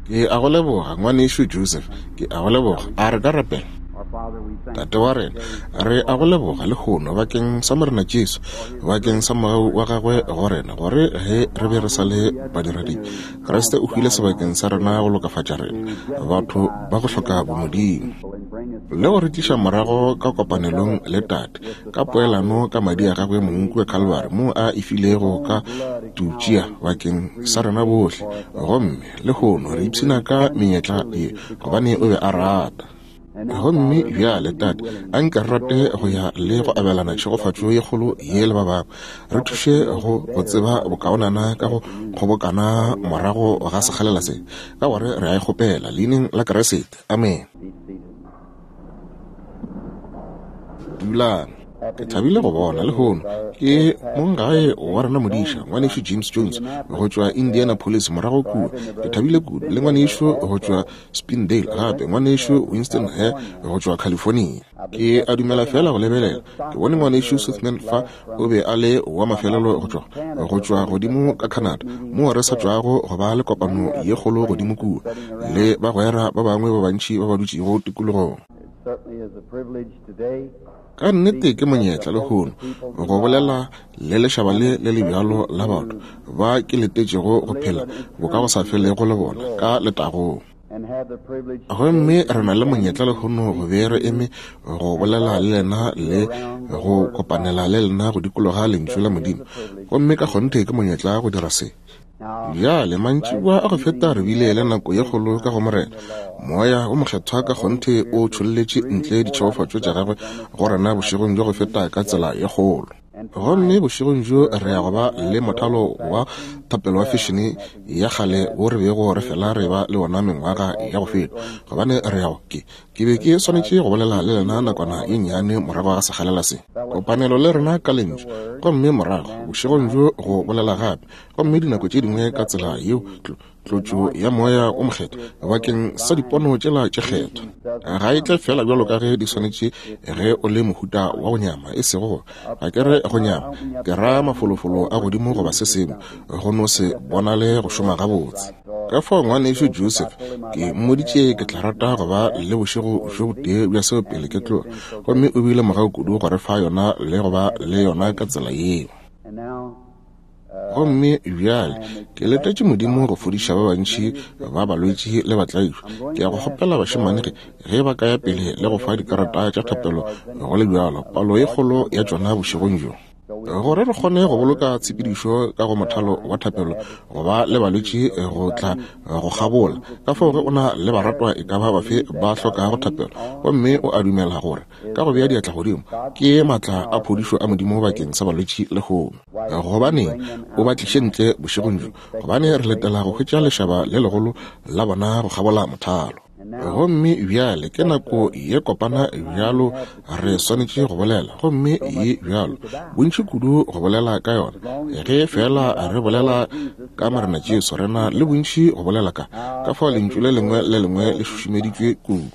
Ke a go leboga, Ngwanešu Joseph. Ke a go leboga. A re ka rapela? Tate wa rena, re a go leboga lehono bakeng sa Morena Jesu, bakeng sa mogau wa gagwe go rena, gore ge re be re sa le badiradibe, Kriste o hwile sebakeng sa rena go lokafatša rena, batho ba go hloka bomodimo, le go re tliša morago ka kopanelong le Tate, ka poelano ka madi a gagwe mong kua Kalvari, moo a e filego ka tutšea bakeng sa rena bohle. Gomme lehono re ipshina ka menyetla ye, gobane o be a rata. Gomme bjale, Tate, a nke re rate go ya le go abelana tšhegofatšo ye kgolo ye le ba bangwe. Re thuše go go tseba bokaonana ka go kgobokana morago ga sekgalela se, ka gore re a e kgopela Leineng la Kriste. Amene. Dulang. Ke thabile go bona lehono ke monggae wa rena modiša ngwanešu James Jones go tšwa Indianapolis morago kua. Ke thabile kudu le ngwanešu go tšwa Spindale gape ngwanešu Winston Hare go tšwa California. Ke a dumela feela go lebelela ke bone ngwanešu Sothmann fa, o be a le wa mafelelo go tšwa go tšwa godimo ka Canada moo re sa tšwago go ba le kopano ye kgolo godimo kua le bagwera ba bangwe ba bantši ba ba dutšego tikologong. Ka nnete ke monyetla lehono go bolela le lešaba le le le bjalo la batho ba ke letetšego go phela bokagosafelego le bona ka letagong. Gomme re na le monyetla lehono go be re eme go bolela le lena le go kopanela le lena go dikologa Lentšu la Modimo. Gomme ka kgonthe ke monyetla go dira se. Bjale, mantšiboa a go feta re bile le nako ye kgolo ka go Morena. Moya wo Mokgethwa ka kgonthe o tšholletše ntle ditšhegofatšo tša Gagwe go rena bošegong bja go feta ka tsela ye kgolo. Gomme bošegong bjo re ya go ba le mothalo wa thapelo wa fešene ya kgale wo re bego re fela re ba le wona mengwaga ya go feta, gobane re ya go ke Ke be ke swanetše go bolela le lena nakwana ye nnyane morago ga sekgalela se. Kopanelo le rena ka Lentšu, gomme morago bošegong bjo go bolela gape, gomme dinako tše dingwe ka tsela yeo tlo, tlotšo ya Moya wo Mokgethwa bakeng sa dipono tšela tše kgethwa ga e tle feela bjalo ka ge di swanetše ge o le mohuta wa go nyama, e sego go, ga ke re go nyama, ke ra mafolofolo a godimo goba se sengwe, go no se bonale go šoma gabotse. Ka fao ngwanešu Joseph, ke mmoditše ke tla rata go ba le bošego bjo botee bja seo pele ke tloga, gomme o bile mogau kudu go re fa yona le go ba le yona ka tsela yeo. Gomme bjale ke letetše Modimo go fodiša ba bantši ba balwetši le batlaišwa. Ke ya go kgopela bašemane ge, ge ba ka ya pele le go fa dikarata tša thapelo go le bjalo, palo ye kgolo ya tšona bošegong bjo. Gore re kgone go boloka tshepedišo ka go mothalo wa thapelo go ba le balwetši go tla go kgabola. Ka fao ge o na le baratwa e ka ba bafe ba hlokago thapelo, gomme o a dumela gore ka go bea diatla godimo ke maatla a phodišo a Modimo bakeng sa balwetši lehono, gobaneng o ba tliše ntle bošegong bjo, gobane re letela go hwetša lešaba le legolo la bona go kgabola mothalo. Gomme bjale ke nako ye kopana bjalo re swanetše go bolela, gomme ye bjalo bontši kudu go bolela ka yona. Ge feela re bolela ka Morena Jesu, re na le bontši go bolela ka, ka fao lentšu le lengwe le lengwe le šušumeditšwe kudu.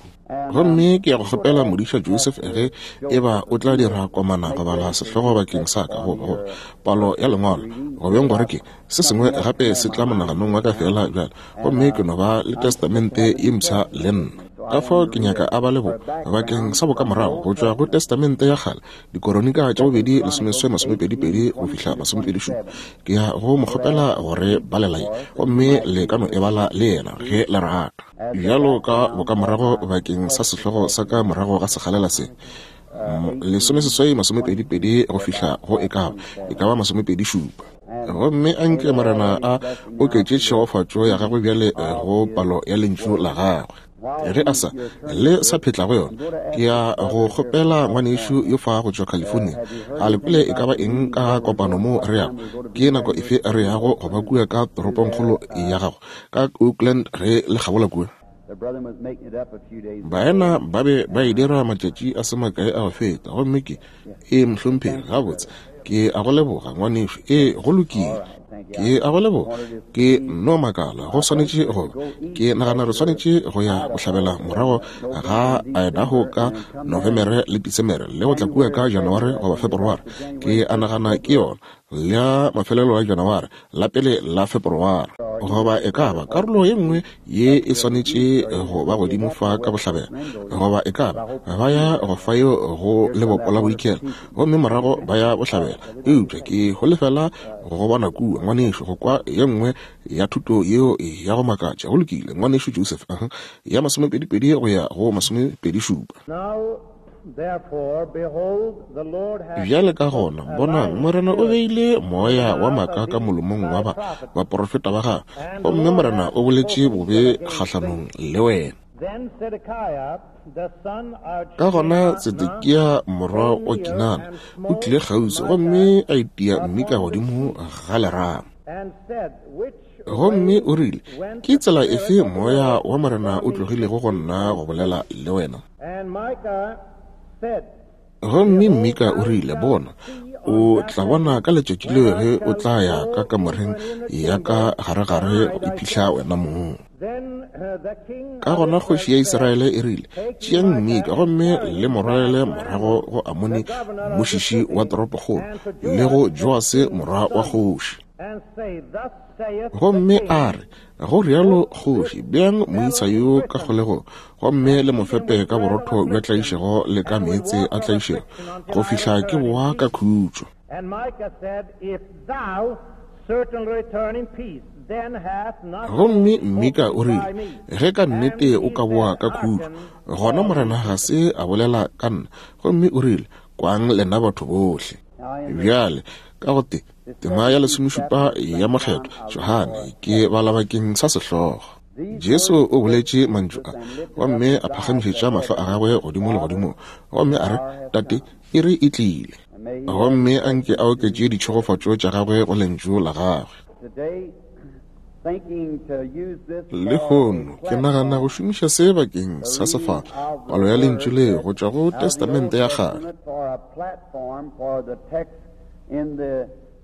Gomme ke ya go kgopela modiša Joseph ge e ba o tla dira komana go bala sehlogo bakeng sa ka, goba, goba palo ya lengwalo, go beng gore ke se sengwe gape se tla monaganong wa ka feela bjale. Gomme ke no ba le Testamente ye Mpsha le nna. Ka fao ke nyaka a bale bo, bakeng sa bokamorago, go tšwa go Testamente ya Kgale, Dikoronika tša bobedi lesomeswe masomepedipedi go fihla masomepedishupa. Ke ya go mo kgopela go re balela ye, gomme le ka no e bala le yena ge le rata. Bjalo ka bokamorago bakeng sa sehlogo sa ka morago ga sekgalela se, lesomeseswai masomepedipedi go fihla go e ka ba, e ka ba masomepedishupa. Gomme a nke Morena a oketše tšhegofatšo ya gagwe bjale go palo ya Lentšu la gagwe. Ge a sa, le sa phetla go yona, ke ya go kgopela ngwanešu yo fa go tšwa California, a le kwele e ka ba eng ka kopano moo re yago, ke nako efe re yago go ba kua ka toropongkgolo ya gago, ka Oakland ge le kgabola kua? Baena ba be ba e dira matšatši a se makae a go feta, gomme ke, Ee, mohlomphegi, gabotse, ke a go leboga, ngwanešu. Ee, go lokile. Ke a go leboga. Ke no makala, go swanetše go ba. Ke nagana re swanetše go ya bohlabela morago ga Idaho ka Novemere le Disemere, le go tla kua ka January goba Feberware. Ke a nagana ke yona, la mafelelo a January, la pele la Feberware. Goba e ka ba karolo ye nngwe ye e swanetše go ba godimo fa ka bohlabela, goba e ka ba ba ya go fa yeo go lebopo la bodikela, gomme morago ba ya bohlabela. Eupša ke holofela go bona kua, ngwanešu, go kwa ye nngwe ya thuto yeo ya go makatša. Go lokile, ngwanešu Joseph, uh -huh, ya masomepedipedi go ya go masomepedishupa. Bjale ka gona, bonang, Morena o beile moya wa maaka ka molomong wa ba baporofeta ba gagwe, gomme Morena o boletše bobe kgahlanong le wena. Ka gona Tsedekia morwa wa Kinana o tlile kgauswi gomme a itia Mmika godimo ga lerama. Gomme o rile, Ke tsela efe moya wa Morena o tlogilego go nna go bolela le wena? Gomme Mika o rile, Bona, o tla bona ka letšatši leo ge o tla ya ka kamoreng ya ka garegare go iphihla wena mong. Ka gona kgoši ya Israele e rile, Tšeang Mika gomme le mo rwalele morago go Amoni mmušiši wa toropokgolo le go Joase morwa wa kgoši. Gomme a re, Go rialo kgoši, beang moisa yo ka kgolegong, gomme le mo fepe ka borotho bja tlaišego le ka meetse a tlaišego, go fihla ke boa ka khutšo. Gomme Mmika o rile, Ge ka nnete o ka boa ka khutšo, gona Morena ga se a bolela ka nna. Gomme o rile, Kwang lena batho bohle. Bjale, ka go te, tema ya lesomešupa ya mokgethwa Johane ke bala bakeng sa sehlogo. Jesu o boletše mantšu a gomme a phagamišetša mahlo a gagwe godimo legodimong gomme a re, Tate, iri e tlile. Gomme a nke a oketše ditšhegofatšo tša gagwe go lentšu la gagwe. Lehono ke nagana go šomiša se bakeng sa sefala, palo ya lentšu le go tšwa go Testamente ya Kgale.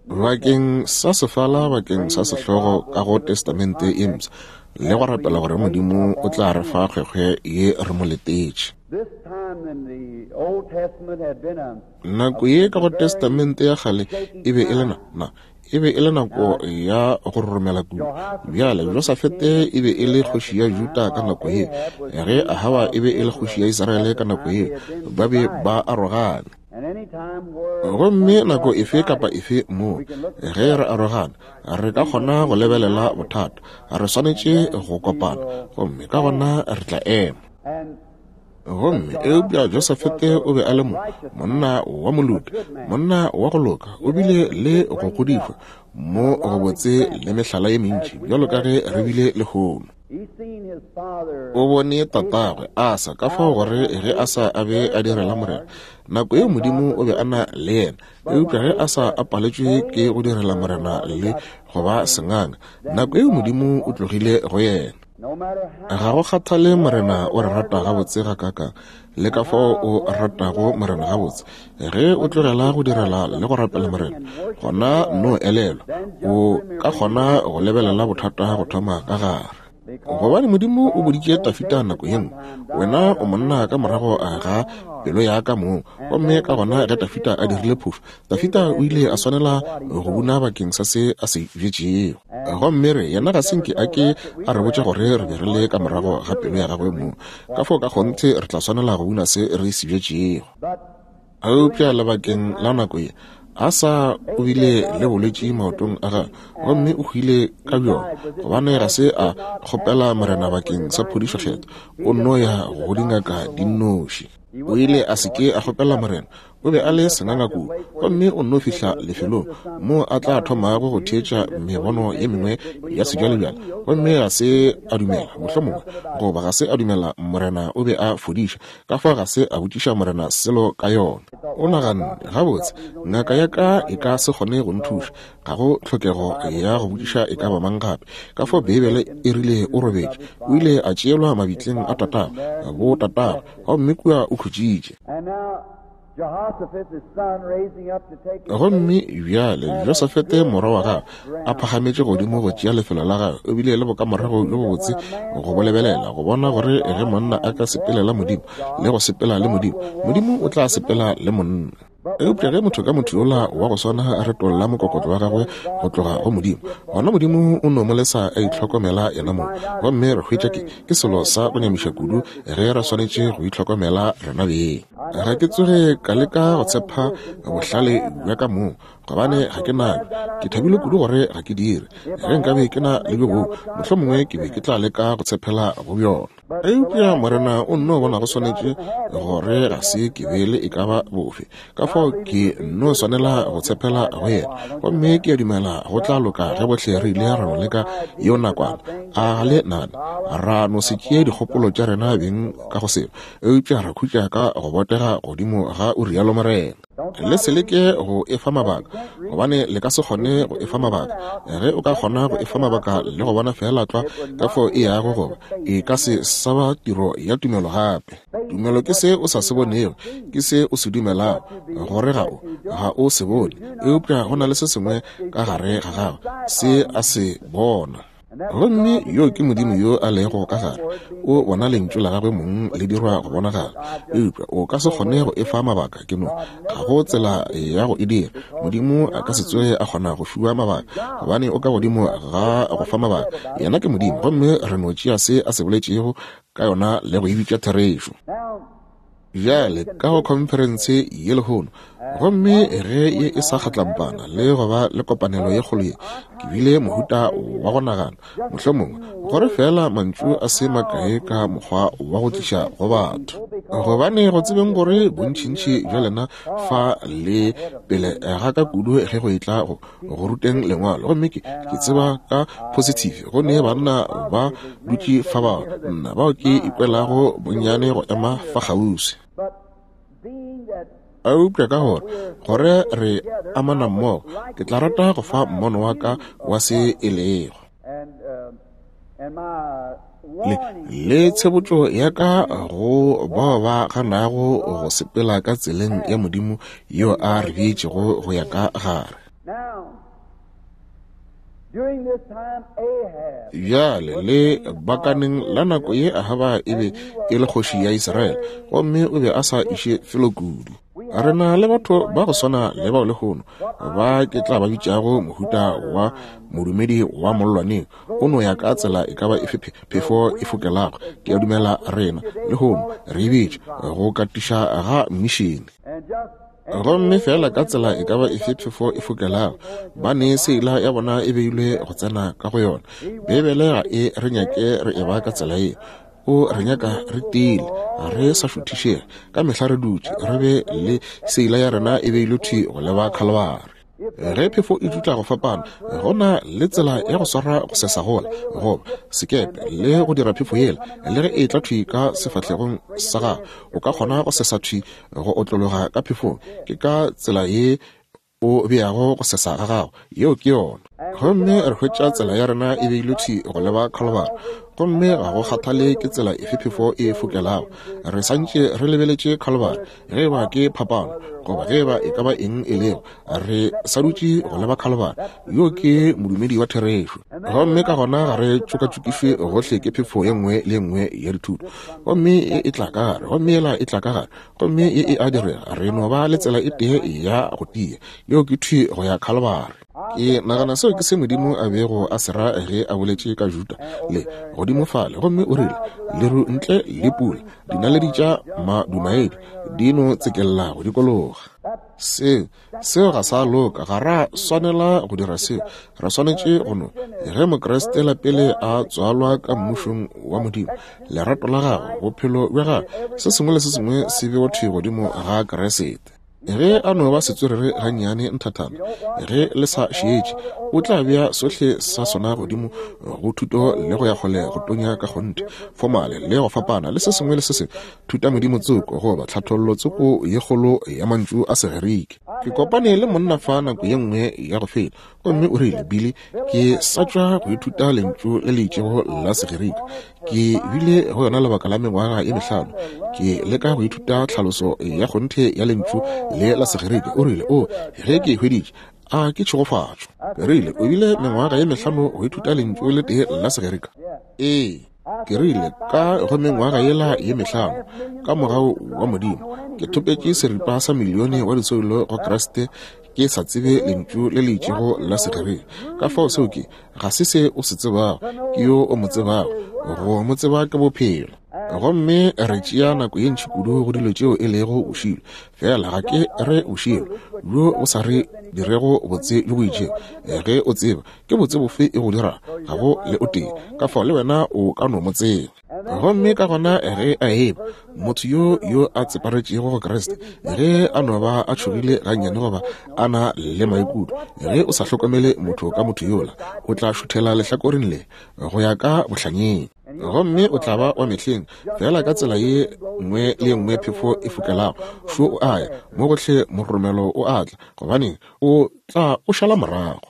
Bakeng sa sefala bakeng sa sehlogo ka go Testamente e Mpsha, le go rapela gore Modimo o tla re fa kgwekgwe ye re mo letetše. Nako ye ka go Testamente ya Kgale e be e le na, na, e be e le nako ya go roromela kudu. Bjale, Josafete e be e le kgoši ya Juda ka nako ye, ge Ahaba e be e le kgoši ya Israele ka nako ye, ba be ba arogane. Gomme nako efe kapa efe moo ge re arogana, re ka kgona go lebelela bothata. Re swanetše go kopana, gomme ka gona re tla ema. Gomme eupša Josafete o be a le mo, monna wa moloki, monna wa go loka, o bile le go godišwa mo go botse le mehlala ye mentši bjalo ka ge re bile lehono. O bone tatagwe Asa, ka fao gore ge Asa a be a direla Morena, nako yeo Modimo o be a na le yena. Eupša ge Asa a paletšwe ke go direla Morena le go ba senganga, nako yeo Modimo o tlogile go yena. Ga go kgathale Morena o re rata gabotse gakaakang, le ka fao o ratago Morena gabotse, ge o tlogela go direla le go rapela Morena, gona no elelwa, o ka kgona go lebelela bothata go thoma ka gare. Gobane Modimo o boditše Tafita nako ye nngwe, Wena o monna ka morago ga pelo ya ka mong. Gomme ka gona ge Tafita a dirile phošo, Dafida o ile a swanela go buna bakeng sa se a se bjetšego. Gomme re, yena ga se nke a ke a re botša gore re be re le ka morago ga pelo ya gagwe mong. Ka fao ka kgonthe re tla swanela go buna se re se bjetšego. Eupša lebakeng la nako ye, Asa o bile le bolwetši maotong a gagwe gomme o hwile ka bjona, gobane ga se a kgopela Morena bakeng sa phodišo kgethwa, o nno ya go dingaka di nnoši. O ile a se ke a kgopela Morena, O be a le senganga kudu, gomme o nno fihla lefelong moo a tla thomago go theetša mebono ye mengwe ya sebjalebjale, gomme ga se a dumela, mohlomongwe, goba ga se a dumela Morena o be a fodiša, ka fao ga se a botšiša Morena selo ka yona. O naganne, Gabotse, ngaka ya ka e ka se kgone go nthuša. Ga go tlhokego ya go botšiša e ka ba mang gape. Ka fao Beibele e rile o robetše. O ile a tšeelwa mabitleng a tatagwe, bo tatagwe, gomme kua o khutšitše. Gomme bjale Josafete morwa wa gagwe a phagametše godimo go tšea lefelo la gagwe, o bile le bokamorago bjo bobotse go bo lebelela, go bona gore ge monna a ka sepelela Modimo le go sepela le Modimo, Modimo o tla sepela le monna. Eupša ge motho ka motho yola wa go swana a retolla mokokotlo wa gagwe go tloga go Modimo, gona Modimo o no mo lesa a itlhokomela yenamong. Gomme re hwetša ke, ke selo sa go nyamiša kudu ge re swanetše go itlhokomela rena beng. Ga ke tsoge ka leka go tshepa bohlale bja ka mong, gobane ga ke nabjo. Ke thabile kudu gore ga ke dire. Ge nkabe ke na le bjo boo, mohlomongwe ke be ke tla leka go tshepela go bjona. Eupša Morena o nno bona go swanetše gore ga se ke be le e ka ba bofe, ka fao ke nno swanela go tshepela go yena. Gomme ke a dumela go tla loka ge bohle re ile ra no leka yeo nakwana. A ga le nagane? Ra no se tšee dikgopolo tša rena beng ka go selo, eupša ra khutša ka go botega godimo ga O rialo morena. Le se leke go efa mabaka, gobane le ka se kgone go efa mabaka. Ge o ka kgona go efa mabaka le go bona feela tlwa ka fao e yago goba, e ka se sa ba tiro ya tumelo gape. Tumelo ke se o sa se bonego, ke se o se dumelago, gore ga o, ga o se bone, eupša go na le se sengwe ka gare ga gago se a se bona. Gomme yo ke Modimo yo a lego ka gare, o bona Lentšu la Gagwe mong le dirwa go bonagala. Eupša o ka se kgone go efa mabaka, ke no, ga go tsela ya go e dira. Modimo a ka se tsoge a kgona go fiwa mabaka, gobane o ka godimo ga go fa mabaka. Yena ke Modimo, gomme re no tšea se A se boletšego ka yona le go e bitša therešo. Bjale, ka go khonferense ye lehono, gomme ge ye e sa kgatlampana le go ba le kopanelo ye kgolo ye, ke bile mohuta wa go nagana, mohlomongwe, gore feela mantšu a se makae ka mokgwa wa go tliša go batho. Gobane go tsebeng gore bontšintši bja lena fa le pele ga ka kudu ge go etla go go ruteng lengwalo, gomme ke, ke tseba ka positive go ne banna ba dutše fa bao nna bao ke ikwelago bonnyane go ema fa kgauswi. Eupša ka gore gore re amana mmogo, ke tla rata go fa mmono wa ka wa se e lego. Le, le tshebotšo ya ka go bao ba ganago go sepela ka tseleng ya Modimo yeo a re beetšego go ya ka gare. Bjale le bakaneng la nako ye Ahaba e be e le kgoši ya Israele, gomme o be a sa iše felo kudu. Re na le batho ba go swana le bao lehono ba ke tla ba bitšago mohuta wa modumedi wa mollwaneng, o no ya ka tsela e ka ba efe phefo e fokelago. Ke a dumela rena lehono re e bitša go katiša ga mmišene. Gomme feela ka tsela e ka ba efe phefo e fokelago, ba ne seila ya bona e beilwe go tsena ka go yona. Beibele ga e re nyake re e ba ka tsela yeo. O re nyaka re tiile, re sa šuthišege, ka mehla re dutše re be le seila ya rena e beilwe thwi go leba Khalibari. Ge phefo e dutla go fapana, go na le tsela ya go swara go sesa gola goba sekepe le go dira phefo yela, le ge e tla thwi ka sefahlegong sa gago, o ka kgona go sesa thwi go otlologa ka phefong. Ke ka tsela ye o beago go sesa ga gago. Yeo ke yona. Gomme re hwetša tsela ya rena e beilwe thwi go leba Khalibari. Gomme ga go kgathale ke tsela efe phefo e fokelago, re santše re lebeletše Khalibari. Ge e ba ke phapano, goba ge e ba e ka ba eng e lego, re sa dutše go leba Khalibari. Yo ke modumedi wa therešo. Gomme ka gona ga re tšokatšokišwe gohle ke phefo ye nngwe le ye nngwe ya dithuto. Gomme e e tla ka gare, gomme yela e tla ka gare, gomme ye e a direga. Re no ba le tsela e tee ya go tia, yeo ke thwi go ya Khalibari. Ke nagana seo ke se Modimo a bego a se ra ge a boletše ka Juda le godimo fale, gomme o rile, Leru ntle le pula, dinaledi tša madumaedi di no tsekella go dikologa. Seo, seo ga sa loka. Ga ra swanela go dira seo. Re swanetše go no, ge Mokriste la pele a tswalwa ka Mmušong wa Modimo, lerato la gagwe, bophelo bja gagwe, se sengwe le se sengwe se bewa thwi godimo ga Kriste. Ge a no ba setswerere gannyane nthathana, ge le sa šetše, o tla bea sohle sa sona godimo go thuto le go ya kgole go tonya ka kgonthe, fomale le go fapana le se sengwe le se sengwe, thutamodimo tsoko goba tlhathollo tsoko ye kgolo ya mantšu a Segerike. Ke kopane le monna fa nako ye nngwe ya go feta, gomme o rile, Billy, ke sa tšwa go ithuta lentšu le le itšego la Segerika. Ke bile go yona lebaka la mengwaga ye mehlano, ke leka go ithuta tlhaloso ya kgonthe ya lentšu le la Segerika. O rile, O, ge ke e hweditše, a ke tšhegofatšo. Ke rile, O bile mengwaga ye mehlano go ithuta lentšu le tee la Segerika? Ee. Ke rile, Ka go mengwaga yela ye mehlano, ka mogau wa Modimo, ke thopetše seripa sa milione wa disoulo go Kriste, ke sa tsebe lentšu le le itšego la Segerika. Ka fao seo ke, ga se se o se tsebago, ke yo o mo tsebago. Go mo tseba ke bophelo. Gomme re tšea nako ye ntši kudu go dilo tšeo e lego bošilo. Fela ga ke re bošilo bjo bo sa re dirego botse bjo bo itšego. Ge o tseba ke botse bofe e go dira, ga go le o tee. Ka fao le wena o ka no mo tseba. Gomme ka gona ge a eba motho yo yo a tseparetšego go Kriste, ge a no ba a tšhogile gannyane goba a na le maikutlo, ge o sa hlokomele motho ka motho yola, o tla šuthela lehlakoreng le go ya ka bohlanyeng. Gomme o tla ba wa mehleng, fela ka tsela ye nngwe le ye nngwe phefo e fokelago, šo o a ya, mo gohle mororomelo o a tla, gobaneng, o tla o šala morago.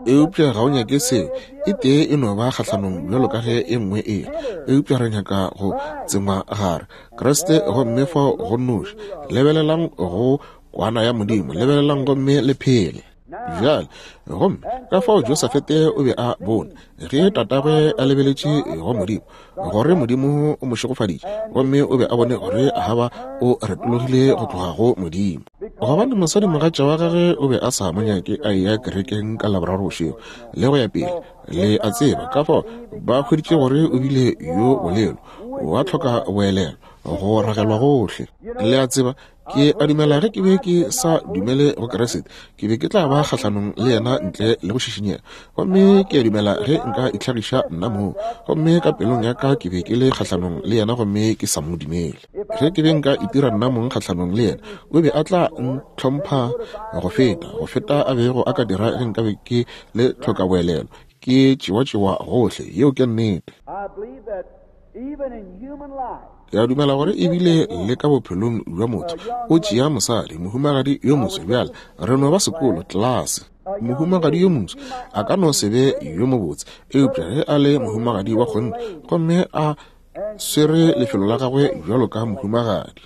Eupša ga o nyake seo, e tee e no ba kgahlanong bjalo ka ge e nngwe e le. Eupša re nyaka go tsengwa gare Kriste, gomme fao go nnoši. Lebelelang go Kwana ya Modimo, lebelelang gomme le phele. Bjale, gomme ka fao Josafete o be a bone, ge tatagwe a lebeletše go Modimo, gore Modimo o mo šegofaditše, gomme o be a bone gore Ahaba o retologile go tloga go Modimo. Gobane mosadimogatša wa gagwe o be a sa mo nyake a eya kerekeng ka Laboraro bošego, le go ya pele, le a tseba. Ka fao ba hweditše gore o bile yo bolelo, wa tlhoka boelelo, go ragelwa gohle. Le a tseba, Ke a dumela ge ke be ke sa dumele go Kriste, ke be ke tla ba kgahlanong le yena ntle le go šišinyega. Gomme ke a dumela ge nka itlhagiša nna moo, gomme ka pelong ya ka ke be ke le kgahlanong le yena gomme ke sa mo dumele. Ge ke be nka itira nna mong kgahlanong le yena, o be a tla ntlhompha go feta, go feta a bego a ka dira ge nka be ke le tlhokaboelelo, ke tšewatšewa gohle. Yeo ke nnete. Ke a dumela gore ebile le ka bophelong bja motho o tšea mosadi, mohumagadi yo moso. Bjale re no ba sekolo, tlelase. Mohumagadi yo moso a ka no se be yo mobotse, eupša ge a le mohumagadi wa kgonthe gomme a swere lefelo la gagwe bjalo ka mohumagadi,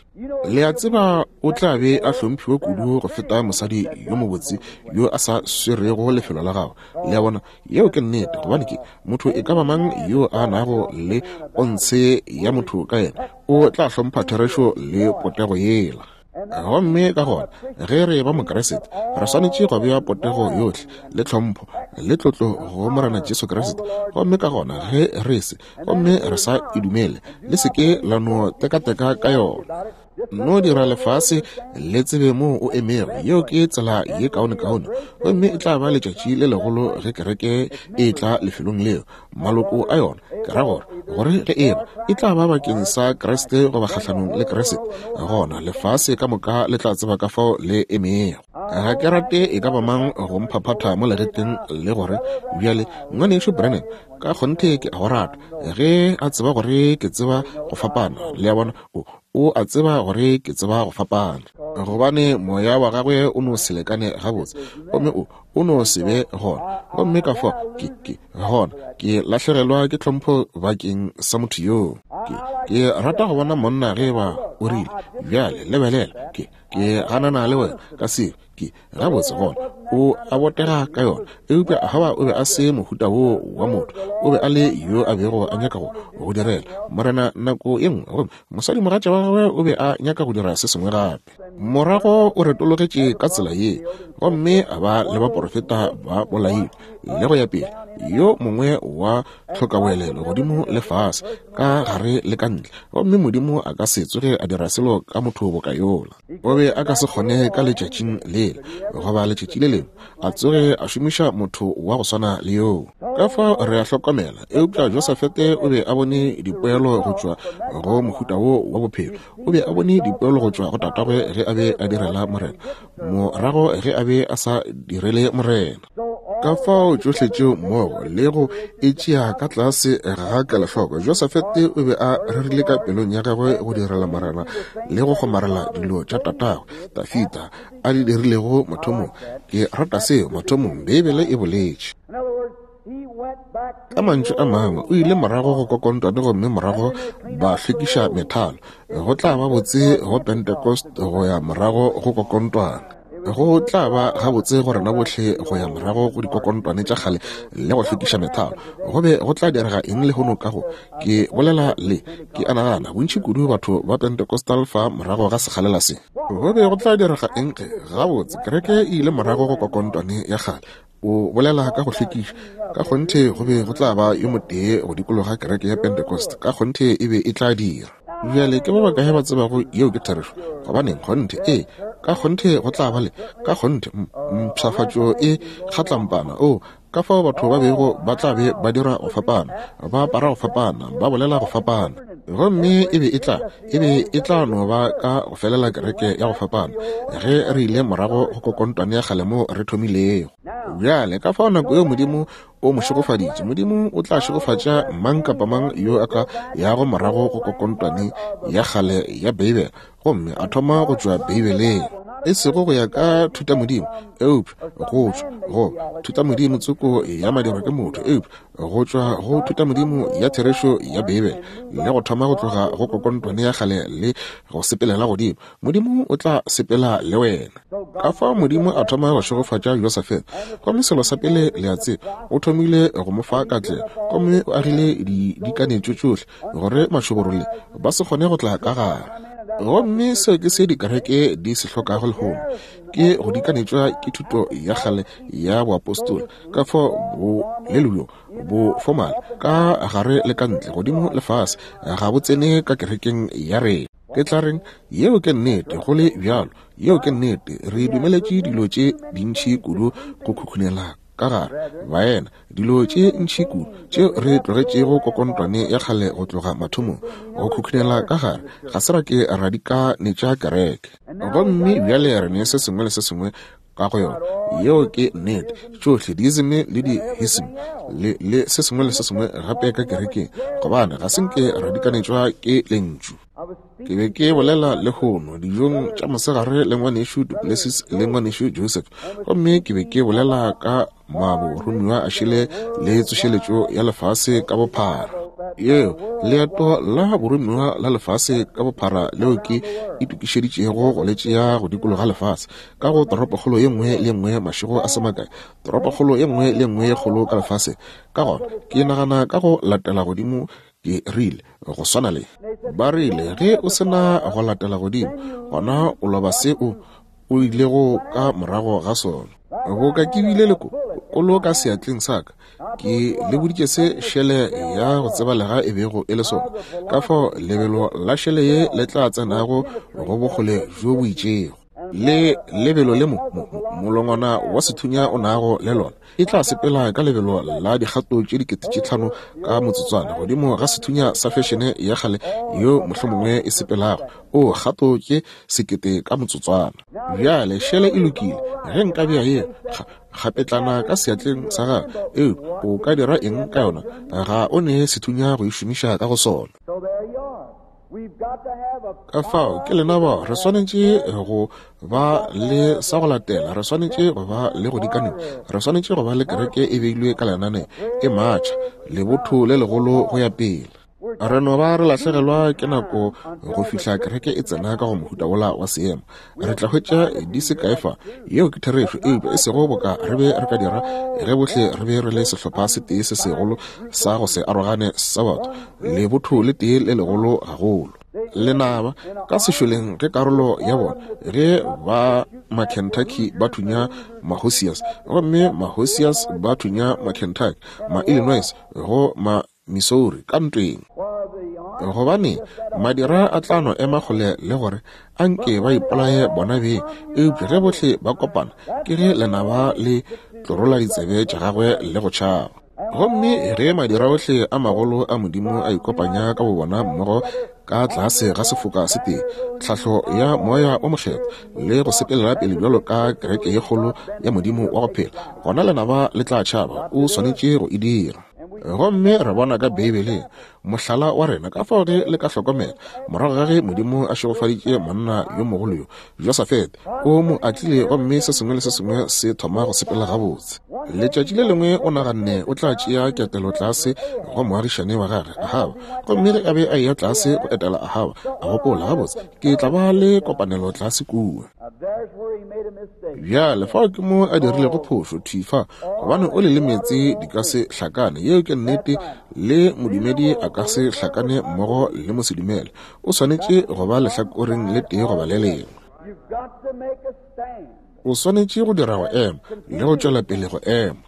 Le a tseba, o tla be a hlomphiwa kudu go feta mosadi yo mobotse yo a sa swerego lefelo la gagwe. Le a bona? Yeo ke nnete, gobane ke motho e ka ba mang yo a nago le pontshe ya motho ka yena, o tla hlompha therešo le potego yela. Gomme ka gona ge re ba Mokriste, re swanetše go bea potego yohle le tlhompho le tlotlo go Morena Jesu Kriste. Gomme ka gona ge re se, gomme re sa e dumele, le se ke la no tekateka ka yona. No dira lefase le tsebe moo o emego. Yeo ke tsela ye kaonekaone. Gomme e tla ba letšatši le legolo ge kereke e tla lefelong leo, maloko a yona, ke ra gore, gore ge eba e tla ba bakeng sa Kriste goba kgahlanong le Kriste, gona lefase ka moka le tla tseba ka fao le emego. Ga ke rate e ka ba mang go mphaphatha mo legetleng le gore, Bjale, Ngwanešu Branham, ka kgonthe ke a go rata, ge a tseba gore ke tseba go fapana. Le a bona, o, o a tseba gore ke tseba go fapana, gobane moya wa gagwe o no se lekane gabotse, gomme o, o no se be gona. Gomme ka fao ke, ke, gona ke lahlegelwa ke tlhompho bakeng sa motho yoo. Ke, ke rata go bona monna ge ba o rile, Bjale, lebelela, ke, ke ganana le wena ka seo. Ke, gabotse, gona o a botega ka yona. Eupša Ahaba o be a se mohuta woo wa motho. O be a le yo a bego a nyaka go, go direla Morena nako ye nngwe, gomme mosadimogatša wa gagwe o be a nyaka go dira se sengwe gape. Morago o retologetše ka tsela ye, gomme a ba le baporofeta ba bolailwe, le go ya pele, yo mongwe wa tlhokaboelelo godimo le fase, ka gare le ka ntle. Gomme Modimo a ka se tsoge a dira selo ka motho boka yola. O be a ka se kgone ka letšatšing lela goba letšatši le lengwe a tsoge a šomiša motho wa go swana le yoo. Ka fao re a hlokomela, eupša Josafete o be a bone dipoelo go tšwa go mohuta wo wa bophelo. O be a bone dipoelo go tšwa go tatagwe ge a be a direla Morena, morago ge a be a sa direle Morena. Ka fao tšohle tšeo mmogo le go e tšea ka tlase ga kelohloko, Josafete o be a rerile ka pelong ya gagwe go direla Morena le go kgomarela dilo tša tatagwe Dafida a di dirilego mathomong. Ke rata seo, mathomong, Beibele e boletše. Ka mantšu a mangwe, o ile morago go kokontwane gomme morago ba hlwekiša methalo. Go tla ba botse go Pentecost go ya morago go kokontwane. Go tla ba gabotse go rena bohle go ya morago go dikokontwane tša kgale le go hlwekiša methalo. Go be go tla direga eng lehono ka go, ke bolela le, ke a nagana, bontši kudu batho ba Pentecostal fa morago ga sekgalela se? Go be go tla direga eng ge, gabotse, kereke e ile morago go kokontwane ya kgale? O bolela ka go hlwekiša. Ka kgonthe go be go tla ba yo motee go dikologa kereke ya Pentecost. Ka kgonthe e be e tla dira. Bjale ke ba bakae ba tsebago yeo ke therešo? Gobaneng, kgonthe, ee, ka kgonthe go tla ba le, ka kgonthe, mpshafatšo e kgatlampana. Oo, ka fao batho ba bego ba tla be ba dira go fapana, ba apara go fapana, ba bolela go fapana. Gomme e be e tla, e be e tla no ba ka go felela kereke ya go fapana ge re ile morago go kokontwane ya kgale moo re thomilego. Bjale, ka fao nako yeo Modimo o mo šegofaditše, Modimo o tla šegofatša mang kapa mang yo a ka yago morago go kokontwane ya kgale ya Beibele gomme a thoma go tšwa Beibeleng. E sego go ya ka thutamodimo, eupša go tšwa go thutamodimo tsoko ya madirwa ke motho, eupša go tšwa go thutamodimo ya therešo ya Beibele le go thoma go tloga go kokontwane ya kgale le go sepelela godimo. Modimo o tla sepela le wena. Ka fao Modimo a thoma go šegofatša Josafete, gomme selo sa pele le a tseba, o thomile go mo fa katlego, gomme o agile dikanetšo tšohle gore mašoborole ba se kgone go tla ka gare. Gomme seo ke se dikereke di se hlokago lehono, ke go dikanetšwa ke thuto ya kgale ya boapostola, ka fao bo le bjo bo formal ka gare le ka ntle, godimo le fase, ga bo tsene ka kerekeng ya rena. Ke tla reng, yeo ke nnete, go le bjalo. Yeo ke nnete. Re dumeletše dilo tše dintši kudu go khukhunela ka gare, baena, dilo tše ntši kudu tšeo re tlogetšego kokontwane ya kgale go tloga mathomong go khukhunela ka gare. Ga se ra ke ra dikanetša kereke. Gomme bjale re ne se sengwe le se sengwe ka go yona. Yeo ke nnete. Tšohle diism le dihism le, le se sengwe le se sengwe gape ka kerekeng, gobane ga se nke ra dikanetšwa ke Lentšu. Ke be ke bolela lehono dijong tša mosegare le ngwanešu Duplessis le ngwanešu Joseph, gomme ke be ke bolela ka maboromiwa a šele le tsošeletšo ya lefase ka bophara. Yeo leeto la boromiwa la lefase ka bophara leo ke itokišeditšego go le tšea go dikologa lefase ka go toropokgolo ye nngwe le ye nngwe mašego a se makae, toropokgolo ye nngwe le ye nngwe ye kgolo ka lefaseng. Ka gona ke nagana ka go latela godimo, ke rile, go swana le ba rile, ge o se na go latela godimo, gona o loba se o o ilego ka morago ga sona. Boka ke bile le kolo ka seatleng sa ka, ke le boditše se šele ya go tsebalega e bego e le sona, ka fao lebelo la šele ye le tla tsenago go bokgole bjo bo itšego, le lebelo le mo, mo, molongwana wa sethunya o nago le lona, e tla sepela ka lebelo la dikgato tše dikete tše tlhano ka motsotswana godimo ga sethunya sa fešene ya kgale yo mohlomongwe e sepelago o kgato tše sekete ka motsotswana. Bjale šele e lokile ge nka bea ye kgapetlana ka seatleng sa gago, eupša o ka dira eng ka yona? Ga o ne sethunya go e šomiša ka go sona. Ka fao ke lena bao re swanetše go ba le sa go latela, re swanetše go ba le go dikaneng, re swanetše go ba le kereke e beilwe ka lenane e matšha, lebotho le legolo go ya pele. Re no ba re lahlegelwa ke nako go fihla kereke e tsena ka go mohuta wola wa seemo. Re tla hwetša di se kae fa, yeo ke therešo, eupša e sego boka re be re ka dira ge bohle re be re le sehlopha se tee se segolo sa go se arogane sa batho, lebotho le tee le legolo gagolo. Lenaba ka sešoleng ge karolo ya bona ge ba ma-Kentucky ba thunya ma-Hosias, gomme ma-Hosias ba thunya ma-Kentucky, ma-Illinois go ma Missouri ka ntweng. Gobane madira a tla no ema kgole le gore a nke ba ipolaye bona beng, eupša ge bohle ba kopana ke ge lenaba le tlorola ditsebe tša gagwe le go tšhaba. Gomme ge madira ohle a magolo a Modimo a ikopanya ka bobona mmogo ka tlase ga sefoka se tee, tlhahlo ya Moya o Mokgethwa, le go sepelela pele bjalo ka kereke ye kgolo ya Modimo wa go phela, gona lenaba le tla tšhaba. O swanetše go e dira. Gomme re bona ka Beibeleng mohlala wa rena, ka fao ge le ka hlokomela, morago ga ge Modimo a šegofaditše monna yo mogolo yo, Josafete, o mo atlile gomme se sengwe le se sengwe se thoma go sepela gabotse. Letšatši le lengwe o naganne o tla tšea ketelo tlase go moagišane wa gagwe, Ahaba. Gomme ge a be a eya tlase go etela Ahaba, a gopola, Gabotse, ke tla ba le kopanelo tlase kua. Bjale, fao ke mo a dirilego phošo, thwi fa, gobane oli le meetse di ka se hlakane. Yeo ke nnete. Le modumedi a ka se hlakane mmogo le mosedumele. O swanetše go ba lehlakoreng le tee goba le lengwe. O swanetše go dira go ema le go tšwela pele go ema.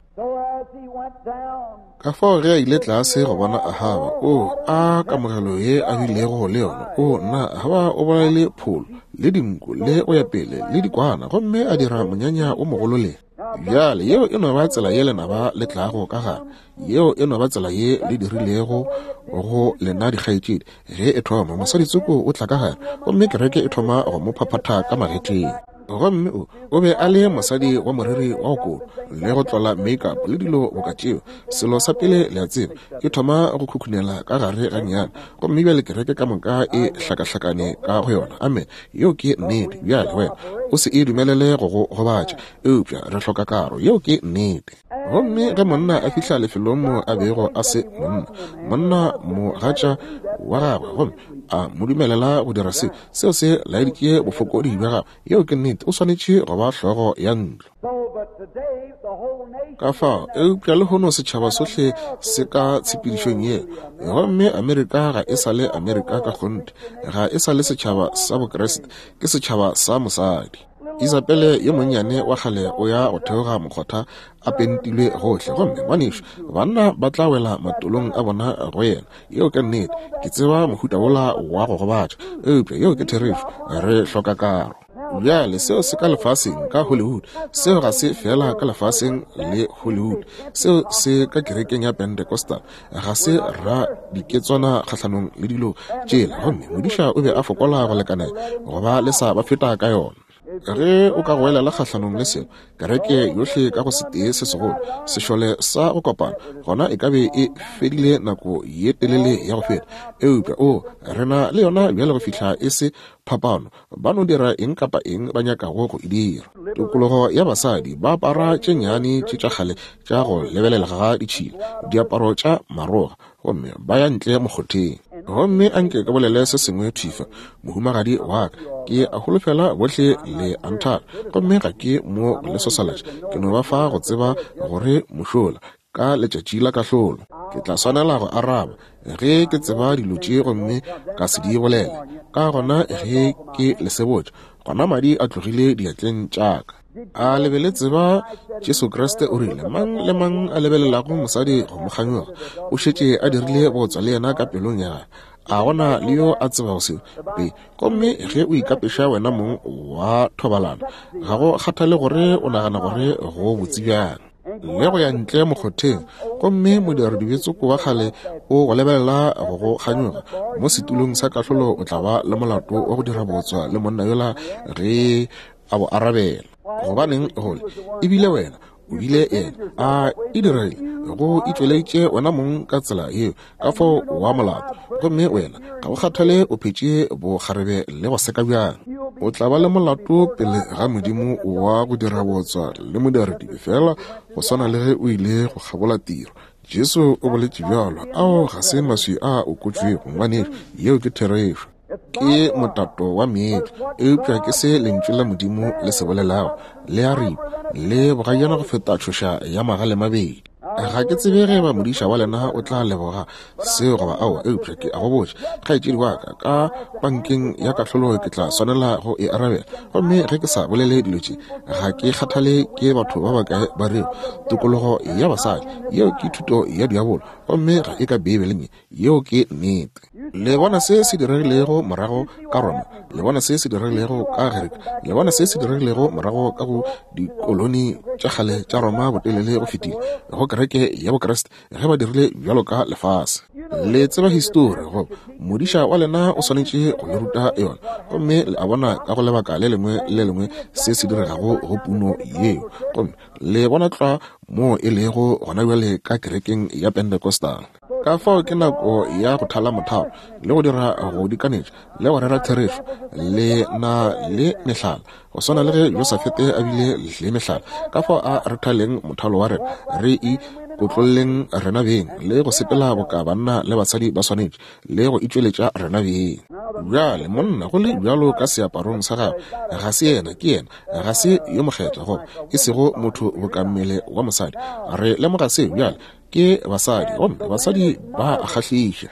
Ka fao ge a ile tlase go bona Ahaba, o a kamogelo ye a bilego le yona. O nna, Ahaba o bolaile pholo le dinku le go ya pele le dikwana, gomme a dira monyanya o mogolo le. Bjale, yeo e no ba tsela ye lenaba le tlago ka gare. Yeo e no ba tsela ye le dirilego go lena dikgaetšedi. Ge e thoma, mosadi tsoko o tla ka gare, gomme kereke e thoma go mo phaphatha ka magetleng. Gomme o, o be a le mosadi wa moriri wa go kotwa, le go tlola makeup le dilo boka tšeo. Selo sa pele le a tseba, e thoma go khukhunela ka gare gannyane, gomme bjale kereke ka moka e hlakahlakane ka go yona. Amene. Yeo ke nnete. Bjale wena o se e dumelele go go gobatša, eupša re hloka karo. Yeo ke nnete. Gomme ge monna a fihla lefelong mo a bego a se monna, monna mogatša wa gagwe, gomme a mo dumelela go dira se, seo se laeditše bofokodi bja gagwe. Yeo ke nnete. O swanetše go ba hlogo ya ntlo. Ka fao, eupša lehono setšhaba sohle se ka tshepedišong ye, gomme Amerika ga e sa le Amerika ka kgonthe, ga e sa le setšhaba sa Bokriste, ke setšhaba sa mosadi. Isabele yo monnyane wa kgale o ya go theoga mokgotha a pentilwe gohle, gomme ngwanešu, banna ba tla wela matolong a bona go yena. Yeo ke nnete. Ke tseba mohuta wola wa go gobatša, eupša yeo ke therešo. Re hloka karo. Bjale, seo se ka lefaseng, ka Hollywood. Seo ga se feela ka lefaseng le Hollywood. Seo se ka kerekeng ya Pentecostal. Ga se ra diketswana kgahlanong le dilo tšela, gomme modiša o be a fokola go lekanela go ba le sa ba feta ka yona. Ge o ka goelela kgahlanong le selo, kereke yohle ka go setee se segolo, sešole sa go kopana, gona e ka be e fedile nako ye telele ya go feta. Eupša, o, re na le yona bjale go fihla e se phapano. Ba no dira eng kapa eng ba nyakago go e dira. Tokologo ya basadi, ba apara tše nnyane tše tša kgale tša go lebelela ga ditšhila, diaparo tša maroga, gomme ba ya ntle mokgotheng. Gomme a nke ke bolele se sengwe thwi fa, mohumagadi wa ka. Ke a holofela bohle le a nthata, gomme ga ke mo go le sosalatša. Ke no ba fa go tseba gore mošola, ka letšatši la kahlolo, ke tla swanela go araba ge ke tseba dilo tše gomme ka se di bolele. Ka gona ge ke le sebotša, gona madi a tlogile diatleng tša ka. A le be le tseba Jesu Kriste o rile, Mang le mang a lebelelago mosadi go mo kganyoga, o šetše a dirile bootswa le yena ka pelong ya gagwe. A gona le yo a tsebago seo? Be, gomme ge o ikapeša wena mong wa thobalano, ga go kgathale gore o nagana gore go botse bjang, le go ya ntle mokgotheng, gomme modiradibetsoko wa kgale o go lebelela go go kganyoga mo setulong sa kahlolo, o tla ba le molato wa go dira bootswa le monna yola ge a bo arabela. Gobaneng gole e bile wena o bile yena a e dirile go itšweleditše wena mong ka tsela yeo, ka fao wa molato. Gomme wena ga o kgathale o phetše bokgarebe le go seka bjang, o tla ba le molato pele ga Modimo wa go dira bootswa le modiradibe, feela go swana le ge o ile go kgabola tiro. Jesu o boletše bjalo. Ao ga se maswi a okotšwego, ngwanešu. Yeo ke therešo. Ke motato wa meetlo, eupša ke se Lentšu la Modimo le se bolelago. Le a ripa, le bogajana go feta tšhoša ya magalemabedi. Ga ke tsebe ge eba modiša wa lena o tla leboga seo goba aowa, eupša ke a go botša, kgaetšedi wa ka, ka pankeng ya kahlolo ke tla swanela go e arabela. Gomme ge ke sa bolele dilo tše, ga ke kgathale ke batho ba bakae ba rego tokologo ya basadi, yeo ke thuto ya diabolo, gomme ga e ka Beibeleng ye. Yeo ke nnete. Le bona se se diregilego morago ka Roma, le bona se se diregilego ka Gerika, le bona se se diregilego morago ka go dikoloni tša kgale tša Roma botelele go fetile, go kereke ya Bokriste, ge ba dirile bjalo ka lefase. Le tseba histori, goba modiša wa lena o swanetše go le ruta yona, gomme le a bona ka go lebaka le lengwe le lengwe se se diregago go puno yeo. Gomme le bona tlwa moo e lego gona bjale ka kerekeng ya Pentecostal. Ka fao ke nako ya go thala mothalo le go dira go dikanetša le go rera therešo. Le na le mehlala, go swana le ge Josafete a bile le mehlala. Ka fao a re thaleng mothalo wa rena, re ikotlolleng rena beng le go sepela boka banna le basadi ba swanetše, le go itšweletša rena beng. Bjale, monna go le bjalo ka seaparong sa gagwe, ga se yena, ke yena, ga se yo mokgethwa, goba e sego motho boka mmele wa mosadi. Re lemoga seo bjale, ke basadi, gomme basadi ba a kgahliša.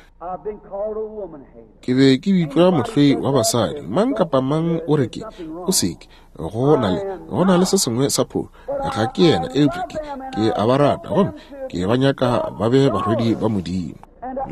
Ke be ke bitšwa mohloi wa basadi. Mang kapa mang o re ke, o seke, go na le, go na le se sengwe sa phošo. Ga ke yena, eupša ke, ke a ba rata, gomme ke ba nyaka ba be barwedi ba Modimo,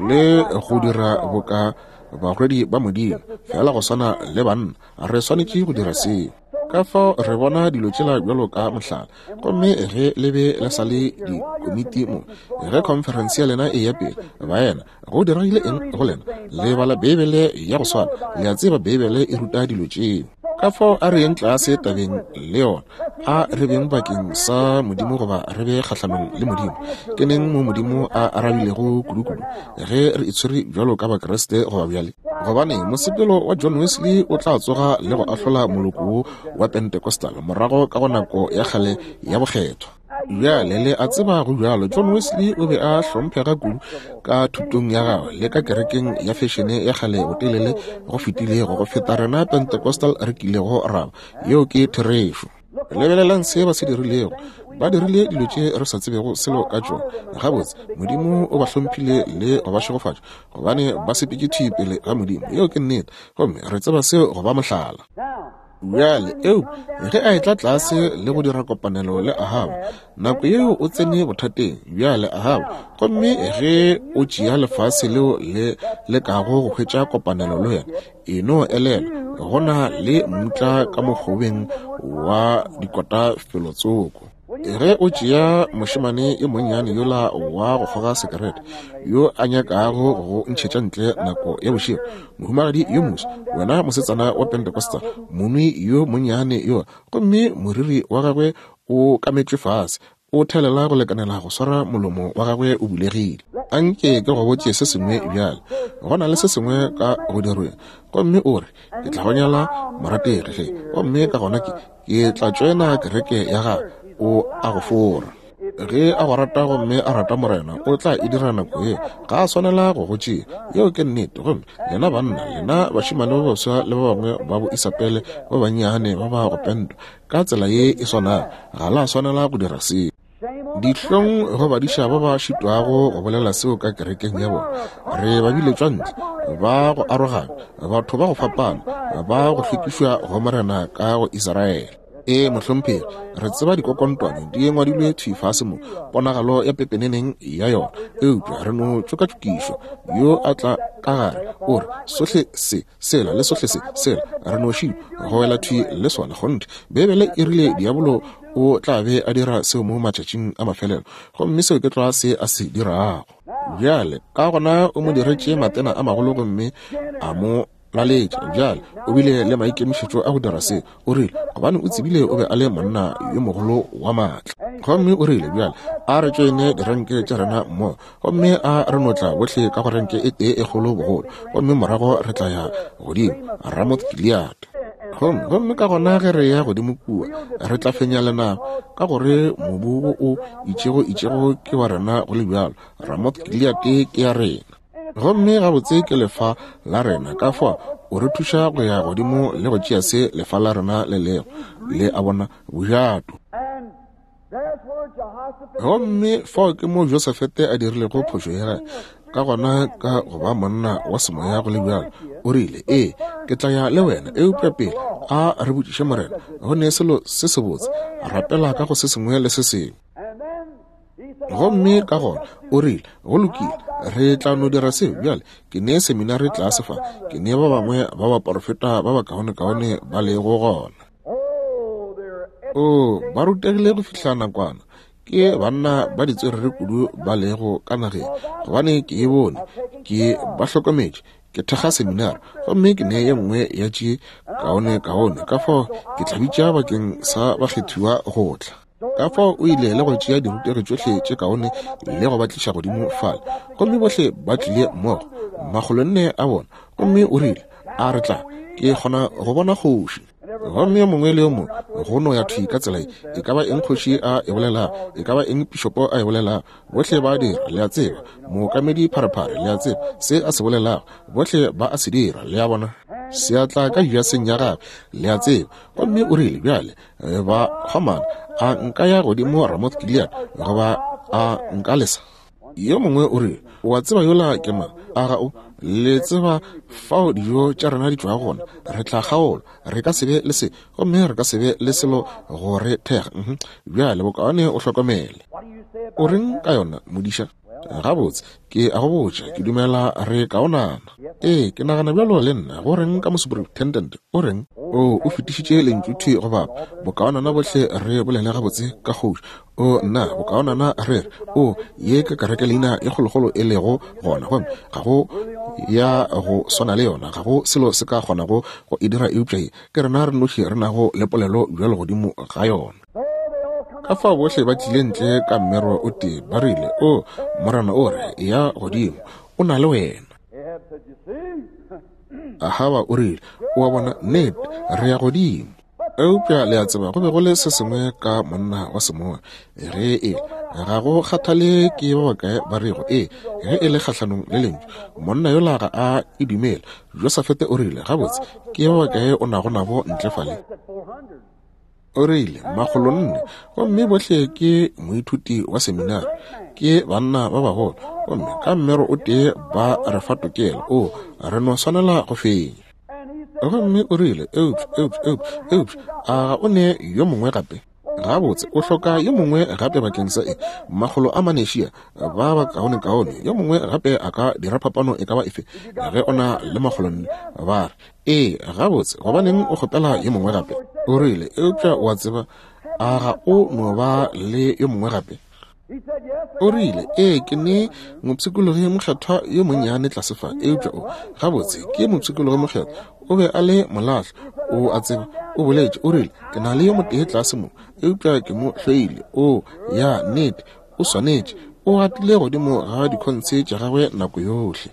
le go dira boka barwedi ba Modimo, feela go swana le banna. Re swanetše go dira seo. Ka fao re bona dilo tšela bjalo ka mohlala. Gomme ge le be le sa le dikomiti mo, ge khonferense ya lena e ya pele, baena, go diregile eng go lena? Le bala Beibele ya go swana. Le a tseba Beibele e ruta dilo tšeo. Ka fao a re yeng tlase tabeng le yona. A re beng bakeng sa Modimo goba re be kgahlanong le Modimo. Ke neng mo Modimo a arabilego kudukudu ge re itshwere bjalo ka Bakriste goba bjale? Gobane mosepelo wa John Wesley o tla tsoga le go ahlola moloko wo wa Pentecostal morago ka go nako ya kgale ya bokgethwa. Bjale le a tseba go bjalo, John Wesley o be a hlomphega kudu ka thutong ya gagwe le ka kerekeng ya fešene ya kgale botelele go fetilego go feta rena Pentecostal re kilego ra ba. Yeo ke therešo. Lebelelang se ba se dirilego. Ba dirile dilo tše re sa tsebego selo ka tšona. Gabotse, Modimo o ba hlomphile le go ba šegofatša, gobane ba sepetše thwi pele ga Modimo. Yeo ke nnete. Gomme re tseba seo go ba mohlala. Bjale, eupša ge a etla tlase le go dira kopanelo le Ahaba, nako yeo o tsene bothateng. Bjale, Ahaba, gomme ge o tšea lefase leo le lekago go hwetša kopanelo le wena, E no elelwa, go na le mmutla ka mokgobeng wa dikota felotsoko. Ge o tšea mošemane yo monnyane yola wa go kgoga sekerete, yo a nyakago go ntšhetša ntle nako ya bošego, mohumagadi yo moswa, wena mosetsana wa Pentecostal, monwi yo monnyane yola, gomme moriri wa gagwe o kametšwe fase, O thelela go lekanela go swara molomo wa gagwe o bulegile. Anke ke go botše se sengwe bjale. Go na le se sengwe ka go dirweng. Gomme o re, Ke tla go nyala, morategi, ge. Gomme ka gona ke, ke tla tšoena kereke ya gago. O a go fora. Ge a go rata gomme a rata Morena, o tla e dira nako yeo. Ga a swanela go go tšea. Yeo ke nnete. Gomme lena banna, lena bašemane ba baswa le ba bangwe ba bo Isapele ba bannyane ba ba go pentwa, Ka tsela ye e swanago, ga la swanela go dira seo. Dihlong go badiša ba ba šitwago go bolela seo ka kerekeng ya bona. Re ba biletšwa ntle, ba go arogana, batho ba go fapana, ba go hlwekišwa go Morena ka go Israele. Ee, mohlomphegi, re tseba dikokontwane di ngwadilwe thwi fase mo, ponagalo ya pepeneneng ya yona, eupša re no tšokatšokišwa. Yo a tla ka gare, o re, Sohle se Sela le sohle se, sela, re no šitwa go wela thwi le sona. Kgonthe, Beibele e rile diabolo o tla be a dira seo mo matšatšing a mafelelo, gomme seo ke tlwa se a se dirago. Bjale, ka gona o mo diretše matena a magolo gomme a mo laletša. Bjale, o bile le maikemišetšo a go dira se. O rile, gobane o tsebile o be a le monna yo mogolo wa maatla. Gomme o rile, Bjale, a re tšoene direnke tša rena mmogo, gomme a re no tla bohle ka go renke e tee e kgolo bogolo, gomme morago re tla ya godimo Ramoth Gilead. Gomme, gomme ka gona ge re ya godimo kua, re tla fenya lenaba, ka gore mobu wo o itšego itšego ke wa rena go le bjalo. Ramoth Gilead ke ya rena. Gomme gabotse ke lefa la rena, ka fao o re thuša go ya godimo le go tšea se lefa la rena le lego, le a bona, bojato. Gomme fao ke mo Josafete a dirilego phošo ya gagwe. Ka gona ka go ba monna wa semoya go le bjalo, o rile, Ee, ke tla ya le wena, eupša pele a re botšiše Morena, go ne selo se sebotse, rapela ka go se sengwe le se sengwe. Gomme ka gona o rile, Go lokile, re tla no dira seo bjale. Ke ne seminari tlase fa, ke ne ba bangwe ba baporofeta ba bakaonekaone ba lego gona. Oo, ba rutegile go fihla nakwana. Ke banna ba ditswerere kudu ba lego ka nageng, gobane ke e bone, ke ba hlokometše. Ke thekga seminari, gomme ke ne ye nngwe ya tše kaonekaone, ka fao ke tla bitša bakeng sa bakgethiwa go tla. Ka fao o ile le go tšea dirutegi tšohle tše kaone le go ba tliša godimo fale, gomme bohle ba tlile mmogo, makgolonne a bona. Gomme o rile, A re tla, Ke kgona go bona kgoši. Gomme yo mongwe le yo mongwe go no ya thwi ka tsela ye, e ka ba eng kgoši a e bolelago, e ka ba eng pišopo a e bolelago, bohle ba a dira, le a tseba, mookamedi pharephare, le a tseba, se a se bolelago, bohle ba a se dira, le a bona. Seatla ka jaseng ya gagwe, le a tseba. Gomme o rile, Bjale, ba kgomana, a nka ya godimo Ramoth Gilead, goba a nka lesa? Yo mongwe o rile, O a tseba yola ke mang? A ga o? Le tseba fao dijo tša rena di tšwago gona. Re tla kgaolwa. Re ka se be le se, gomme re ka se be le selo go re thekga. Uh -huh. Bjale bokaone o hlokomele. O reng ka yona, modiša? Gabotse, ke a go botša, ke dumela re kaonana. Ee, ke nagana bjalo le nna. Go reng ka mosuperintendent? O reng? O, o fetišitše lentšu thwi go bapa. Bokaonana bohle re bolele gabotse ka kgoši. O, nna, bokaonana re re, o, ye ke kereke leina e kgolokgolo e lego gona, gomme ga go ya go swana le yona, ga go selo se ka kgonago go e dira eupša ye. Ke rena re noši re nago le polelo bjalo godimo ga yona. Ka fao bohle ba tlile ntle ka mmero o tee, ba rile, O, Morena o re, eya godimo, o na le wena. Ahaba o rile, O a bona, nnete, re ya godimo. Eupša le a tseba go be go le se sengwe ka monna wa semoya. Ge e ga go kgathale ke ba bakae ba rego ee, ge e le kgahlanong le lentšu, monna yola ga a e dumele. Josafete o rile, Gabotse, ke ba bakae o nago nabo ntle fale? O rile, Makgolonne, gomme bohle ke moithuti wa seminari, ke banna ba bagolo, gomme ka mmero o tee ba re fa tokelo. O, re no swanela go fenya. Gomme o rile, Eupša, eupša, eupša, eupša, a ga o ne yo mongwe gape? Gabotse, o hloka yo mongwe gape bakeng sa e makgolo a manešia ba ba kaonekaone. Yo mongwe gape a ka dira phapano e ka ba efe ge o na le makgolonne. Ba re, Ee, gabotse, gobaneng o kgopela yo mongwe gape? O rile, Eupša o a tseba, a ga o no ba le yo mongwe gape? O rile, Ee, ke ne mopshikologi mokgethwa yo monnyane tlase fa, eupša o, gabotse, ke mopshikologi mokgethwa. O be a le molahlo, o a tseba. O boletše, o rile, Ke na le yo motee tlase mo, eupša ke mo hloile. O, ya, nnete, o swanetše. O gatile godimo ga dikhontshe tša gagwe nako yohle.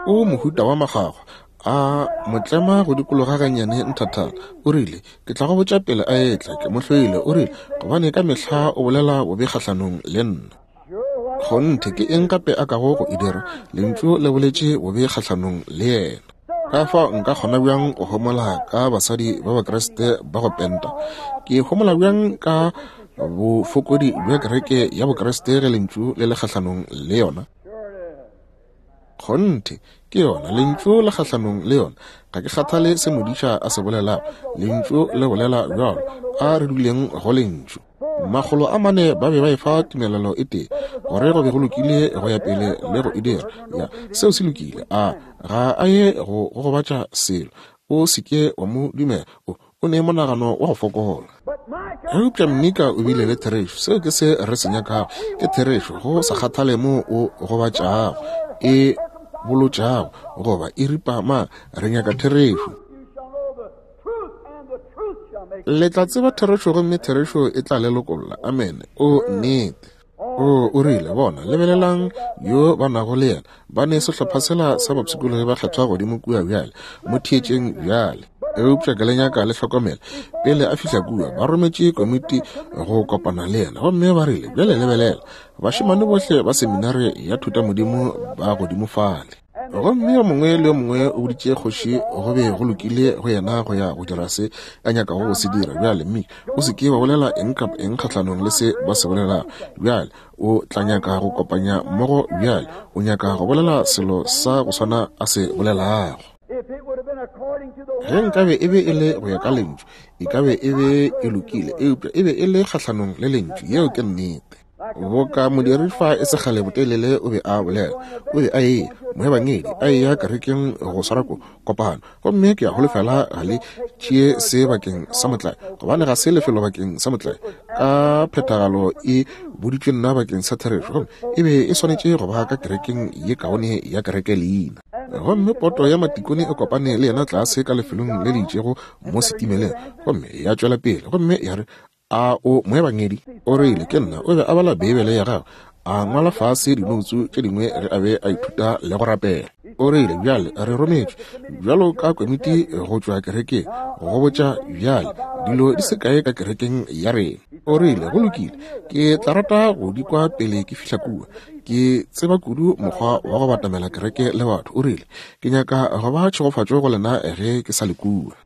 O mohuta wa makgwakgwa, a mo tlema go dikologa gannyane nthathana. O rile, Ke tla go botša pele a etla, ke mo hloile, o rile, gobane ka mehla o bolela bobe kgahlanong le nna. Kgonthe, ke eng gape a kago go e dira? Lentšu le boletše bobe kgahlanong le yena. Ka fao nka kgona bjang go homola ka basadi ba Bakriste ba go penta? Ke homola bjang ka bofokodi bja kereke ya Bokriste ge Lentšu le le kgahlanong le yona? Kgonthe, ke yona, Lentšu le kgahlanong le yona. Ga ke kgathale se modiša a se bolelago, Lentšu le bolela bjalo. A re duleng go Lentšu. 400 ba be ba efa tumelelo e tee gore go be go lokile go ya pele le go e dira. Ya, seo se lokile. A ga a ye go go gobatša selo. O se ke wa mo dumela. O, o ne monagano wa go fokola. Eupša Mika o bile le therešo. Seo ke se re se nyakago, ke therešo, go sa kgathale moo o gobatšago, e bolotšago, goba e ripa ma, re nyaka therešo. Le tla tseba therešo gomme therešo e tla le lokolla. Amene. O, nnete. O, o rile, bona, lebelelang yo ba nago le yena. Ba ne sehlopha sela sa bapshikologi ba kgethwa godimo kua bjale. Mo theetšeng bjale. Eupša ke le nyaka le hlokomele, pele a fihla kua, ba rometše komiti go kopana le yena. Gomme ba rile, bjale lebelela, bašemane bohle ba seminare ya thutamodimo ba godimo fale. Gomme yo mongwe le yo mongwe o boditše kgoši go be go lokile go yena go ya go dira se a nyakago go se dira. Bjale, mme o se ke wa bolela eng kapa eng kgahlanong le se ba se bolelago. Bjale, o tla nyaka go kopanya mmogo bjale. O nyaka go bolela selo sa go swana a se bolelago. Ge nkabe e be e le go ya ka Lentšu, e ka be e be e lokile, eupša e be e le kgahlanong le Lentšu. Yeo ke nnete. Boka modiri fa e se kgale botelele o be a bolela, o be a eya, moebangedi, a eya kerekeng go swara ko, kopano. Gomme ke a holofela ga le tšee se bakeng sa motlae, gobane ga se lefelo bakeng sa motlae. Ka phethagalo e boditšwe nna bakeng sa therešo, gomme e be e swanetše go ba ka kerekeng ye kaone ya kereke leina. Gomme poto ya matikone e kopane le yena tlase ka lefelong le le itšego mo setimeleng, gomme ya tšwela pele, gomme ya re, A o moebangedi? O rile, Ke nna. O be a bala Beibele ya gagwe. A ngwala fase dinoutsu tše dingwe ge a be a ithuta le go rapela. O rile, Bjale, re rometšwe, bjalo ka komiti go tšwa kerekeng, go botša bjale dilo di se kae ka kerekeng ya rena. O rile, Go lokile, ke tla rata go di kwa pele ke fihla kua. Ke tseba kudu mokgwa wa go batamela kereke le batho. O rile, Ke nyaka go ba tšhegofatšo go lena ge ke sa le kua.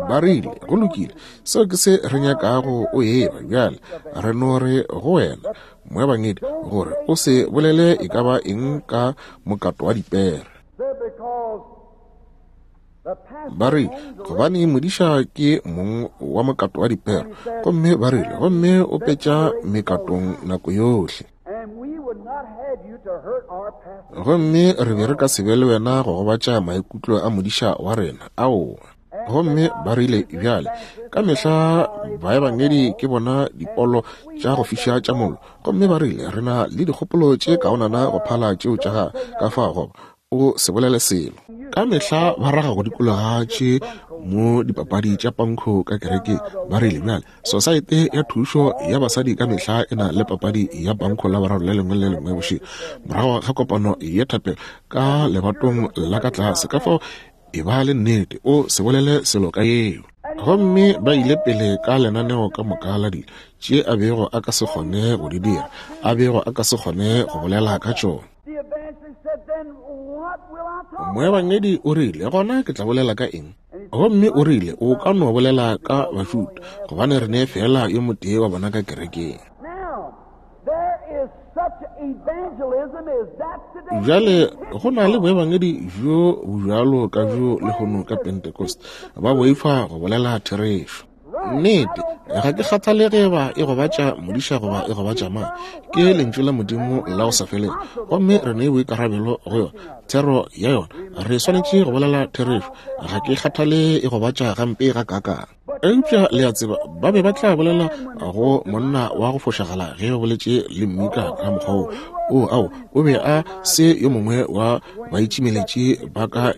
Ba rile, Go lokile, seo ke se re nyakago o eba bjale. Re no re go wena, moebangedi, gore o se bolele e ka ba eng ka mokato wa dipere. Ba rile, gobane modiša ke mong wa mokato wa dipere, gomme ba rile, gomme o petša mekatong nako yohle. Gomme re be re ka se be le wena go gobatša maikutlo a modiša wa rena. Aowa. Gomme ba rile, Bjale, ka mehla baebangedi ke bona dipolo tša go fiša tša mollo. Gomme ba rile, Re na le dikgopolo tše kaonana go phala tšeo tša gago, ka fao goba o se bolele selo. Ka mehla ba raga go dikologa tše mo dipapadi tša pankho ka kerekeng. Ba rile, Bjale, Sosaete ya Thušo ya Basadi ka mehla e na le papadi ya pankho Laboraro le lengwe le lengwe bošego morago ga kopano ya thapelo ka lebatong la ka tlase. Ka fao e ba le nnete o se bolele selo ka yeo. Gomme ba ile pele ka lenaneo ka moka la dilo tše a bego a ka se kgone go di dira, a bego a ka se kgone go bolela ka tšona. Moebangedi o rile, Gona ke tla bolela ka eng? Gomme o rile, O ka no bolela ka Bajuda, gobane re ne feela yo motee wa bona ka kerekeng. Bjale, go na le boebangedi bjo bjalo ka bjo lehono ka Pentecost, ba boifa go bolela therešo. Nnete, ga ke kgathale ge eba e gobatša modiša goba e gobatša mang, ke Lentšu la Modimo la go sa felego, gomme re ne boikarabelo go yona, thero ya yona. Re swanetše go bolela therešo, ga ke kgathale e gobatša gampe gakaakang. Eupša le a tseba, ba be ba tla bolela go monna wa go fošagala ge ba boletše le Mika ka mokgwa wo. O, ao, o be a se yo mongwe wa baitšimeletši ba ka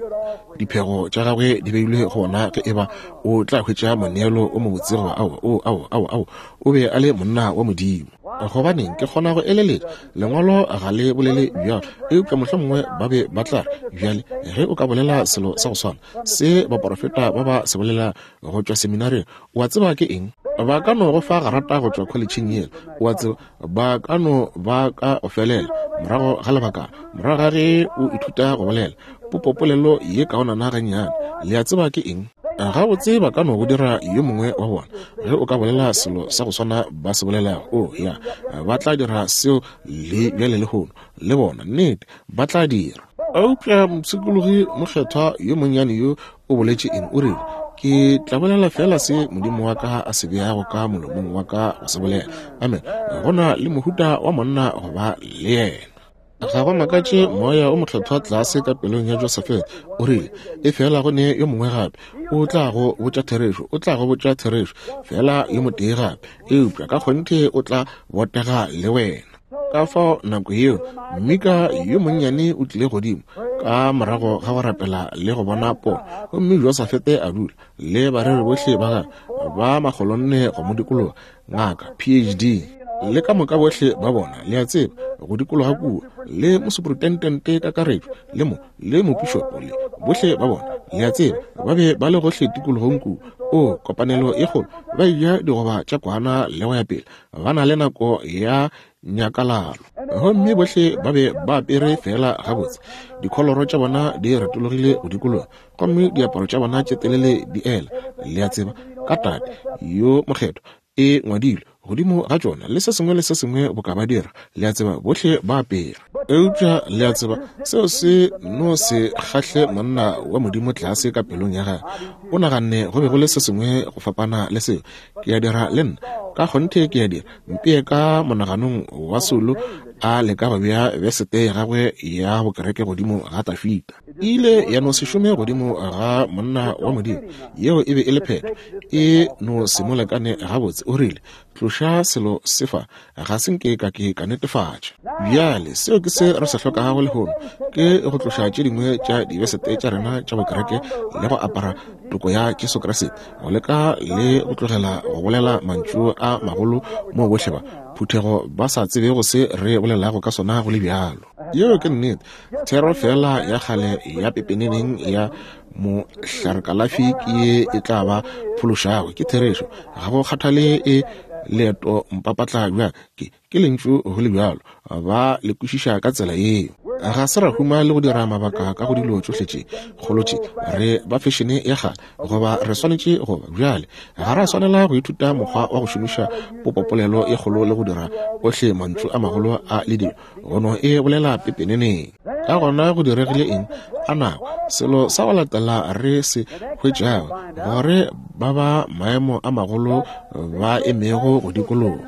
diphego tša gagwe di beilwe go ona ge eba o tla hwetša moneelo o mobotse goba ao, o, ao, ao, ao, o be a le monna wa Modimo. Gobaneng, ke kgona go eleletša, Lengwalo ga le bolele bjalo, eupša mohlomongwe ba be ba tla re, Bjale, ge o ka bolela selo sa go swana se baporofeta ba ba se bolela go tšwa seminaring, o a tseba ke eng? Ba ka no go fa garata go tšwa kholetšheng yela, o a tseba, ba ka no ba ka go felela morago ga lebakana, morago ga ge o ithuta go bolela popopolelo ye kaonana gannyane. Le a tseba ke eng? Gabotse, ba ka no go dira yo mongwe wa bona ge o ka bolela selo sa go swana ba se bolelago. O oh, ya, ba tla dira seo le bjale lehono, le bona. Nnete, ba tla dira. Eupša mopshikologi mokgethwa yo monnyane yo o boletše eng? O rile, Ke tla bolela feela se Modimo wa ka a se beago ka molomong wa ka go se bolela. Amen. Go na le mohuta wa monna go ba le yena. Ga go makatše Moya o Mokgethwa tlase ka pelong ya Josafete o rile, E fela go ne yo mongwe gape o tla go botša therešo, o tla go botša therešo, fela yo motee gape, eupša ka kgonthe o tla botega le wena. Ka fao nako yeo Mika yo monnyane o tlile godimo ka morago ga go rapela le go bona pono, gomme Josafete a dula le bareri bohle ba gagwe ba makgolonne go mo dikologa, ngaka, PhD, le ka moka bohle ba bona, le a tseba, go dikologa kua, le mosuprutentente kakaretšo, le mo, le mopišopo, le bohle ba bona, le a tseba, ba be ba le gohle tikologong kua. O, kopanelo e kgolo, ba eja digoba tša kwana le go ya pele, ba na le nako ya nyakalalo. Gomme bohle ba be ba apere feela gabotse, dikholoro tša bona di retologile go dikologa, gomme diaparo tša bona tše telele di ela, le a tseba, ka Tate yo Mokgethwa e ngwadilwe godimo ga tšona, le se sengwe le se sengwe boka ba dira, le a tseba, bohle ba apere. Eupša, le a tseba, seo se no se kgahle monna wa Modimo tlase ka pelong ya gagwe. O naganne go be go le se sengwe go fapana le seo. Ke a dira le nna, ka kgonthe ke a dira. Mpee ka monaganong wa Saulo a leka go bea besete ya gagwe ya bokereke godimo ga Tafita. E ile ya no se šome godimo ga monna wa Modimo. Yeo e be e le phetho. E no se mo lekane gabotse. O rile, Tloša selo se fa. Ga se nke ka ke ka netefatša. Bjale, seo ke se re se hlokago lehono, ke go tloša tše dingwe tša dibesete tša rena tša bokereke le go apara toko ya Jesu Kriste, go leka le go tlogela go bolela mantšu a magolo moo bohle ba phuthego ba sa tsebego se re bolelago ka sona go le bjalo. Yeo ke nnete. Thero feela ya kgale ya pepeneneng ya mohlarkalafi ke ye e tla ba phološago. Ke therešo. Ga go kgathale e leeto mpapatla bjang, ke, ke lentšu go le bjalo. Ba le kwešiša ka tsela yeo. Ga se ra huma le go dira mabaka ka go dilo tšohle tše kgolo tše. Re ba fešene ya kgale, goba re swanetše go ba. Bjale, ga ra swanela go ithuta mokgwa wa go šomiša popopolelo e kgolo le go dira ohle mantšu a magolo a le dilo, go no e bolela pepeneneng. Ka gona go diregile eng? A nako, selo sa go latela re se hwetšago, gore ba ba maemo a magolo ba emego go dikologa.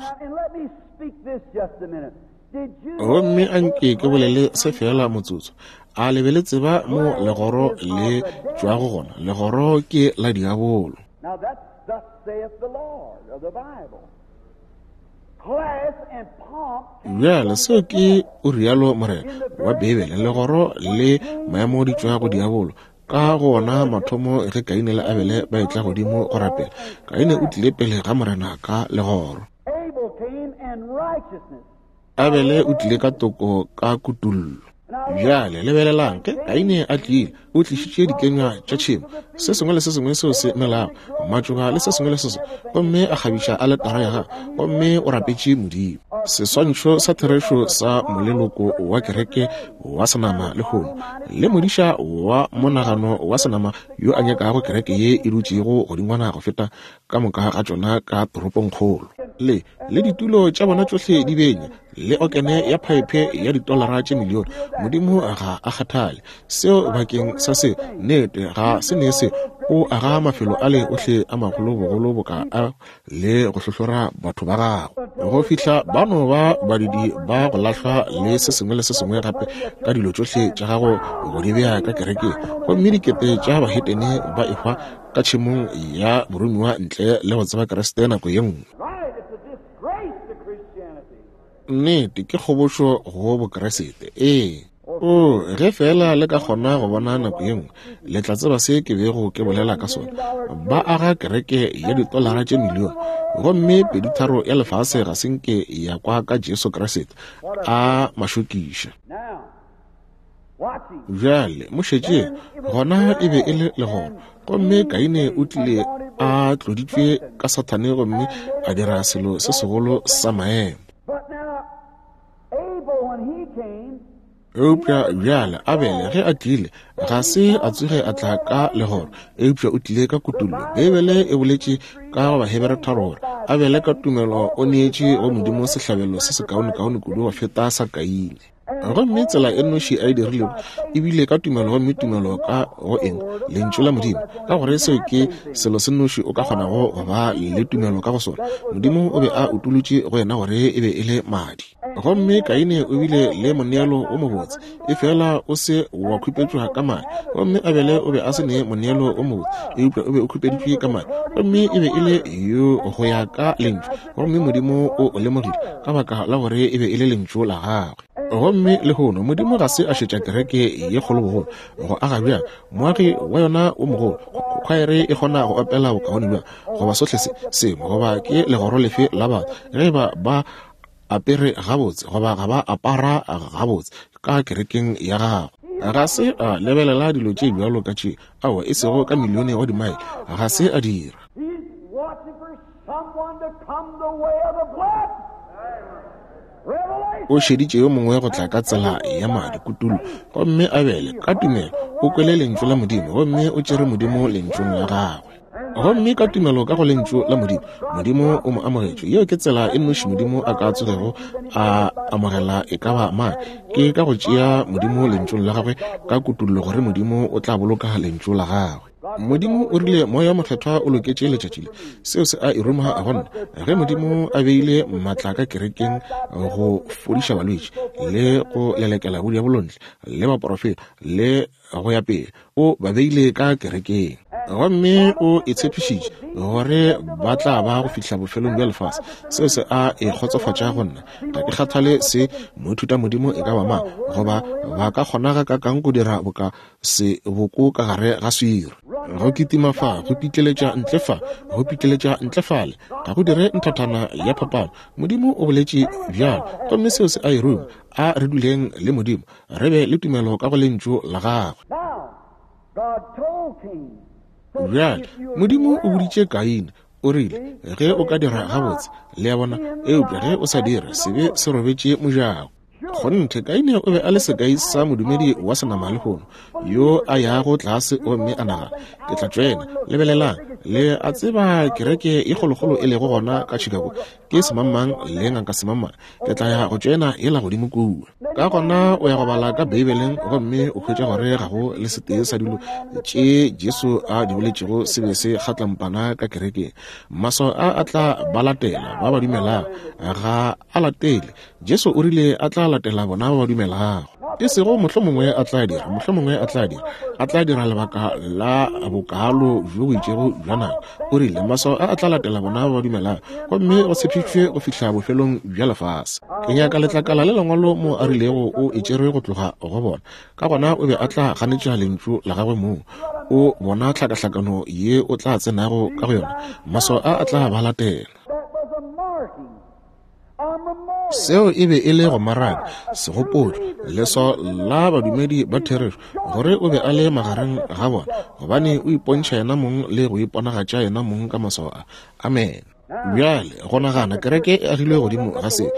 Gomme a nke ke bolele se feela motsotso. A le be le tseba mo legoro le tšwago gona? Legoro ke la diabolo. Bjale, seo ke o rialo Morena wa Beibele. Legoro le maemo di tšwa go diabolo. Ka go ona mathomo ge Kaine le Abele ba etla godimo go rapela, Kaine o tlile pele ga Morena ka legoro. Abele o tlile ka toko ka kutullo. Bjale lebelelang, ge Kaine a tlile, o tlišitše dikenywa tša tšhemo, se sengwe le se sengwe seo se melago, matšoba le se sengwe le se sengwe, gomme a kgabiša aletara ya gagwe, gomme o rapetše Modimo. Seswantšho sa therešo sa moleloko wa kereke wa senama lehono, le modiša wa monagano wa senama yo a nyakago kereke ye e dutšego godingwana go feta ka moka ga tšona ka toropongkgolo, le, le ditulo tša bona tšohle di benya, le okene ya phaephe ya ditolara tše milione. Modimo ga a kgathale seo bakeng sa se, nnete ga se ne se. O aga mafelo ale ohle a magolo bogolo boka a le go hlohlora batho ba gagwe go fihla ba no ba badudi ba go lahlwa le se sengwe le se sengwe gape ka dilo tšohle tša gago go di bea ka kerekeng, gomme dikete tša bahetene ba ehwa ka tšhemong ya boromiwa ntle le go tseba Kriste nako ye nngwe. Nnete, ke kgobošo go Bokriste. Ee. O, ge feela le ka kgona go bona nako ye nngwe, le tla tseba se ke bego ke bolela ka sona. Ba aga kereke ya ditolara tše milione, gomme peditharo ya lefase ga se nke ya kwa ka Jesu Kriste a mašokiša. Bjale, mo šetšeng, gona e be e le legoro. Gomme Kaine o tlile a tloditšwe ka Sathane gomme a dira selo se segolo sa maemo. Eupša bjale Abele ge a tlile, ga se a tsoge a tla ka legoro, eupša o tlile ka kutullo. Beibele e boletše ka go Bahebere tharo gore Abele ka tumelo o neetše go Modimo sehlabelo se sekaonekaone kudu go feta sa Kaine. Gomme tsela e nnoši a e dirilego e bile ka tumelo, gomme tumelo ka go eng? Lentšu la Modimo, ka gore seo ke selo se nnoši o ka kgonago go ba le tumelo ka go sona. Modimo o be a utolotše go yena gore e be e le madi. Gomme Kaine o bile le moneelo o mobotse, efela o se wa khupetšwa ka madi. Gomme Abele o be a se ne moneelo o mobotse, eupša o be o khupeditšwe ka madi. Gomme e be e le yo go ya ka Lentšu. Gomme Modimo o o lemogile ka baka la gore e be e le Lentšu la Gagwe. Gomme lehono Modimo ga se a šetša kereke ye kgolo bogolo go aga bjang, moagi wa yona o mogolo, khwaere e kgona go opela bokaone bjang, goba sohle se sengwe, goba ke legoro lefe la batho, ge eba ba apere gabotse goba ga ba apara gabotse ka kerekeng ya gagwe. Ga se a lebelela dilo tše bjalo ka tše, aowa, e sego ka milione wa dimaele, ga se a dira. O šeditše yo mongwe go tla ka tsela ya madi, kutullo. Gomme Abele, ka tumelo, o kwele Lentšu la Modimo, gomme o tšere Modimo Lentšung la Gagwe. Gomme ka tumelo ka go Lentšu la Modimo, Modimo o mo amogetše. Yeo ke tsela e nnoši Modimo a ka tsogego a amogela e ka ba mang, ke ka go tšea Modimo Lentšung la Gagwe, ka kutullo gore Modimo o tla boloka Lentšu la Gagwe. Modimo o rile Moya wo Mokgethwa o loketše letšatši le. Seo se a e ruma go nna. Ge Modimo a beile maatla ka kerekeng go fodiša balwetši le go lelekela bodiabolontle le baprofeta le go ya pele, O ba beile ka kerekeng. Gomme o e tshepišitše gore ba tla ba go fihla bofelong bja lefase. Seo se a e kgotsofatša go nna. Ga ke kgathale se moithutamodimo e ka ba mang, goba ba ka kgona gakakang go dira boka seboko ka gare ga swiri. Go kitima fa, go pitleletša ntle fa, go pitleletša ntle fale, ga go dire nthathana ya phapano. Modimo o boletše bjalo, gomme seo se a e ruma. A re duleng le Modimo, re be le tumelo ka go Lentšu la Gagwe. Bjale, Modimo o boditše Kaine, o rile, ge o ka dira gabotse, le a bona, eupša ge o sa dire, sebe se robetše mojako. Kgonthe, Kaine o be a le sekai sa modumedi wa senama lehono, yo a yago tlase gomme a nagana, Ke tla tšoena. Lebelelang, le a tseba kereke e kgolokgolo e lego gona ka Chicago ke semangmang le ngaka semangmang. Ke tla ya go tšoena yela godimo kua. Ka gona o ya go bala ka Beibeleng gomme o hwetša gore ga go le setee sa dilo tše Jesu a di boletšego se be se kgatlampana ka kerekeng. Maswao a a tla ba latela ba ba dumelago, ga a latele. Jesu o rile a tla latela bona ba ba dumelago. E sego mohlomongwe a tla dira, mohlomongwe a tla dira, a tla dira lebaka la bokalo bjo bo itšego bja nako. O rile maswao a a tla latela bona ba ba dumelago, gomme go tshepišitšwe go fihla bofelong bja lefase. Ke nyaka letlakala le lengwalo mo a rilego o e tšere go tloga go bona. Ka gona o be a tla ganetša lentšu la gagwe mong. O bona tlhakahlakano ye o tla tsenago ka go yona, maswao a a tla ba latela. Seo e be e le go maraka, segopotšo, leswao la badumedi ba therešo, gore o be a le magareng ga bona, gobane o ipontšha yena mong le go iponagatša yena mong ka maswao a. Amen. Bjale, go nagana, kereke e agilwe godimo ga se,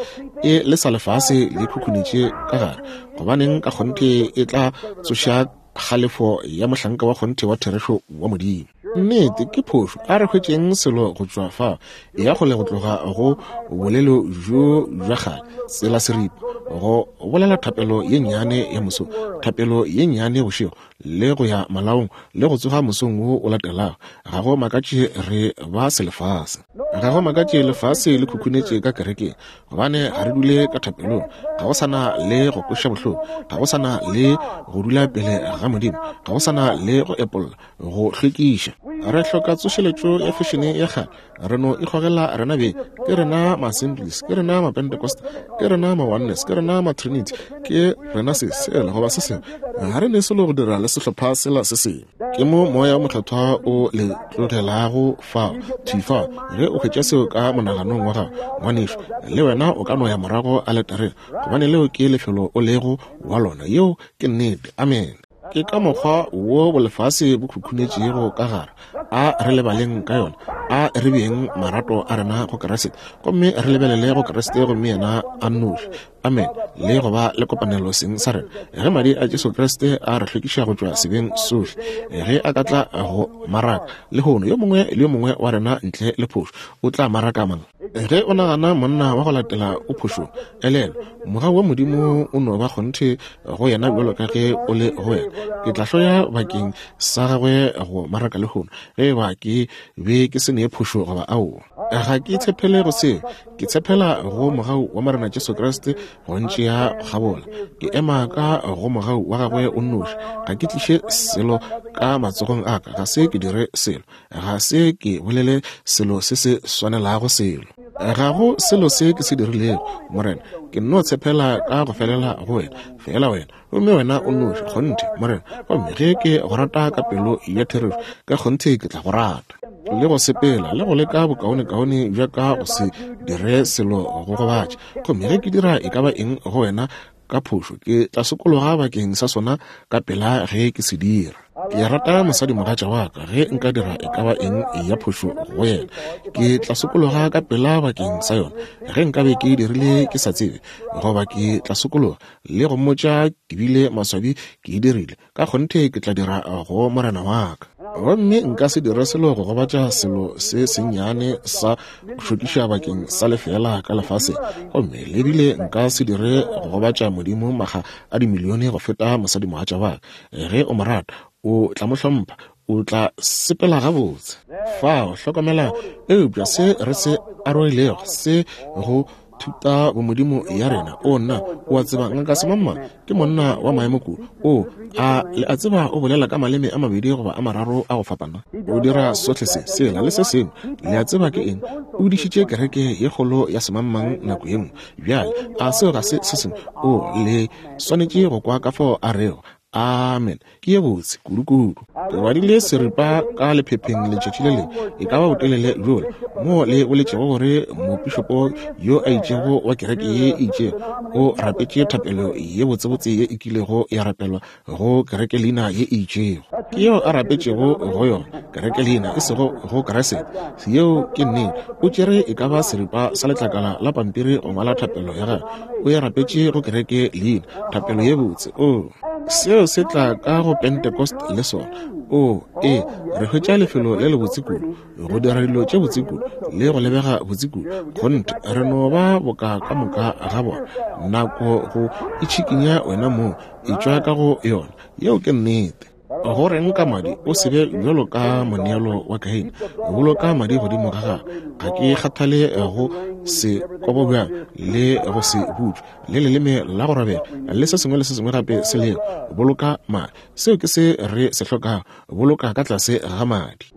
e le sa lefase le khukhunetše ka gare, gobaneng ka kgonthe e tla tsoša kgalefo ya mohlanka wa kgonthe wa therešo wa Modimo. Nnete, ke phošo. A re hwetšeng selo go tšwa fa. E ya kgole go tloga go bolelo bjo bja kgale, tsela seripa, go bolela thapelo ye nnyane ya moso, thapelo ye nnyane bošego, le go ya malaong, le go tsoga mosong wo o latelago. Ga go makatše re ba selefase. Ga go makatše lefase le khukhunetše ka kerekeng. Gobane ga re dule ka thapelong, ga go sa na le go kweša bohloko, ga go sa na le go dula pele ga Modimo, ga go sa na le go epolla, go hlwekiša. Re hloka tsošeletšo ya fešene ya kgale. Re no ikgogela rena beng. Ke rena ma-Assemblies, ke rena ma-Pentecost, ke rena ma-Oneness, ke rena ma-Trinity, ke rena se, sela, goba se sengwe. Ga re ne selo go dira le sehlopha sela se sengwe. Ke mo Moya wo Mokgethwa o le tlogelago fao, thwi fao. Ge o hwetša seo ka monaganong wa gago, ngwanešu, le wena o ka no ya morago aletareng, gobane leo ke lefelo o lego wa lona. Yeo ke nnete. Amene. Ke ka mokgwa wo bolefase bo khukhunetšego ka gare. A re lebaleng ka yona. A re beeng marato a rena go Kriste, gomme re lebelele go Kriste gomme yena a nnoši. Amen. Le go ba le kopanelo seng sa rena. Ge madi a Jesu Kriste a re hlwekiša go tšwa sebeng sohle, ge a ka tla go maraka lehono, yo mongwe le yo mongwe wa rena ntle le phošo o tla maraka mang? Ge o nagana monna wa go latela o phošong, elelwa, mogau wa Modimo o no ba kgonthe go yena bjalo ka ge o le go wena. Ke tla hloya bakeng sa gagwe go maraka lehono, ge e ba ke be ke se ne phošo goba aowa. Ga ke tshepele go seo, ke tshepela go mogau wa Morena Jesu Kriste go ntšea kgabola. Ke ema ka go mogau wa gagwe o nnoši. Ga ke tliše selo ka matsogong a ka, ga se ke dire selo. Ga se ke bolele selo se se swanelago selo. Ga go selo se ke se dirilego, Morena. Ke nno tshepela ka go felela go wena, feela wena, gomme wena o nnoši, kgonthe, Morena. Gomme ge ke go rata ka pelo ya therešo, ka kgonthe ke tla go rata. Le go sepela, le go leka bokaonekaone bja ka go se dire selo go gobatša. Gomme ge ke dira e ka ba eng go wena ka phošo, ke tla sokologa bakeng sa sona ka pela ge ke se dira. Ke rata mosadimogatša wa ka, ge nka dira e ka ba eng ya phošo go yena, ke tla sokologa ka pela bakeng sa yona. Ge nkabe ke dirile ke sa tsebe, goba ke tla sokologa le go mmotša ke bile maswabi ke e dirile, ka kgonthe ke tla dira go Morena wa ka. Gomme nka se dire selo go gobatša selo se sennyane sa go šokiša bakeng sa lefeela ka lefaseng, gomme le bile nka se dire go gobatša Modimo makga a dimilione go feta mosadimogatša wa ka. Ge o mo rata, o tla mo hlompha, o tla sepela gabotse. Fao, hlokomelang, eupša se re se arogilego se go. Thutabomodimo ya rena. O, nna, o a tseba, Ngaka Semangmang ke monna wa maemo kudu. O, a le a tseba o bolela ka maleme a mabedi goba a mararo a go fapana? O dira sohle se, sela, le se sengwe. Le a tseba ke eng? O dišitše kereke ye kgolo ya Semangmang nako ye nngwe. Bjale, a seo ga se se sengwe? O, le swanetše go kwa ka fao a rego. Amen. Ke ye botse kudukudu. Ke badile seripa ka lephepheng letšatši le lengwe, e ka ba botelele bjola, moo le boletšego gore mopišopo yo a itšego wa kereke ye e itšego o rapetše thapelo ye botsebotse ye e kilego ya rapelwa go kereke leina ye e itšego. Ke yeo a rapetšego go yona, kereke leina, e sego go Kriste. Yeo ke nnete. O tšere e ka ba seripa sa letlakala la pampiri go ngwala thapelo ya gagwe. O e rapetše go kereke leina, thapelo ye botse. Oo. Seo se tla ka go Pentecost le sona. Oo, ee, re hwetša lefelo le lebotse kudu, go dira dilo tše botse kudu, le go lebega botse kudu. Kgonthe, re no ba boka ka moka ga bona. Nako go itšhikinya wena mong, etšwa ka go yona. Yeo ke nnete. Go reng ka madi? O se be bjalo ka moneelo wa Kaine. Boloka madi godimo ga gago. Ga ke kgathale go se kobo bjang le go se butšwe, le leleme la go rabela, le se sengwe le se sengwe gape se lego. Boloka madi. Seo ke se re se hlokago. Boloka ka tlase ga madi.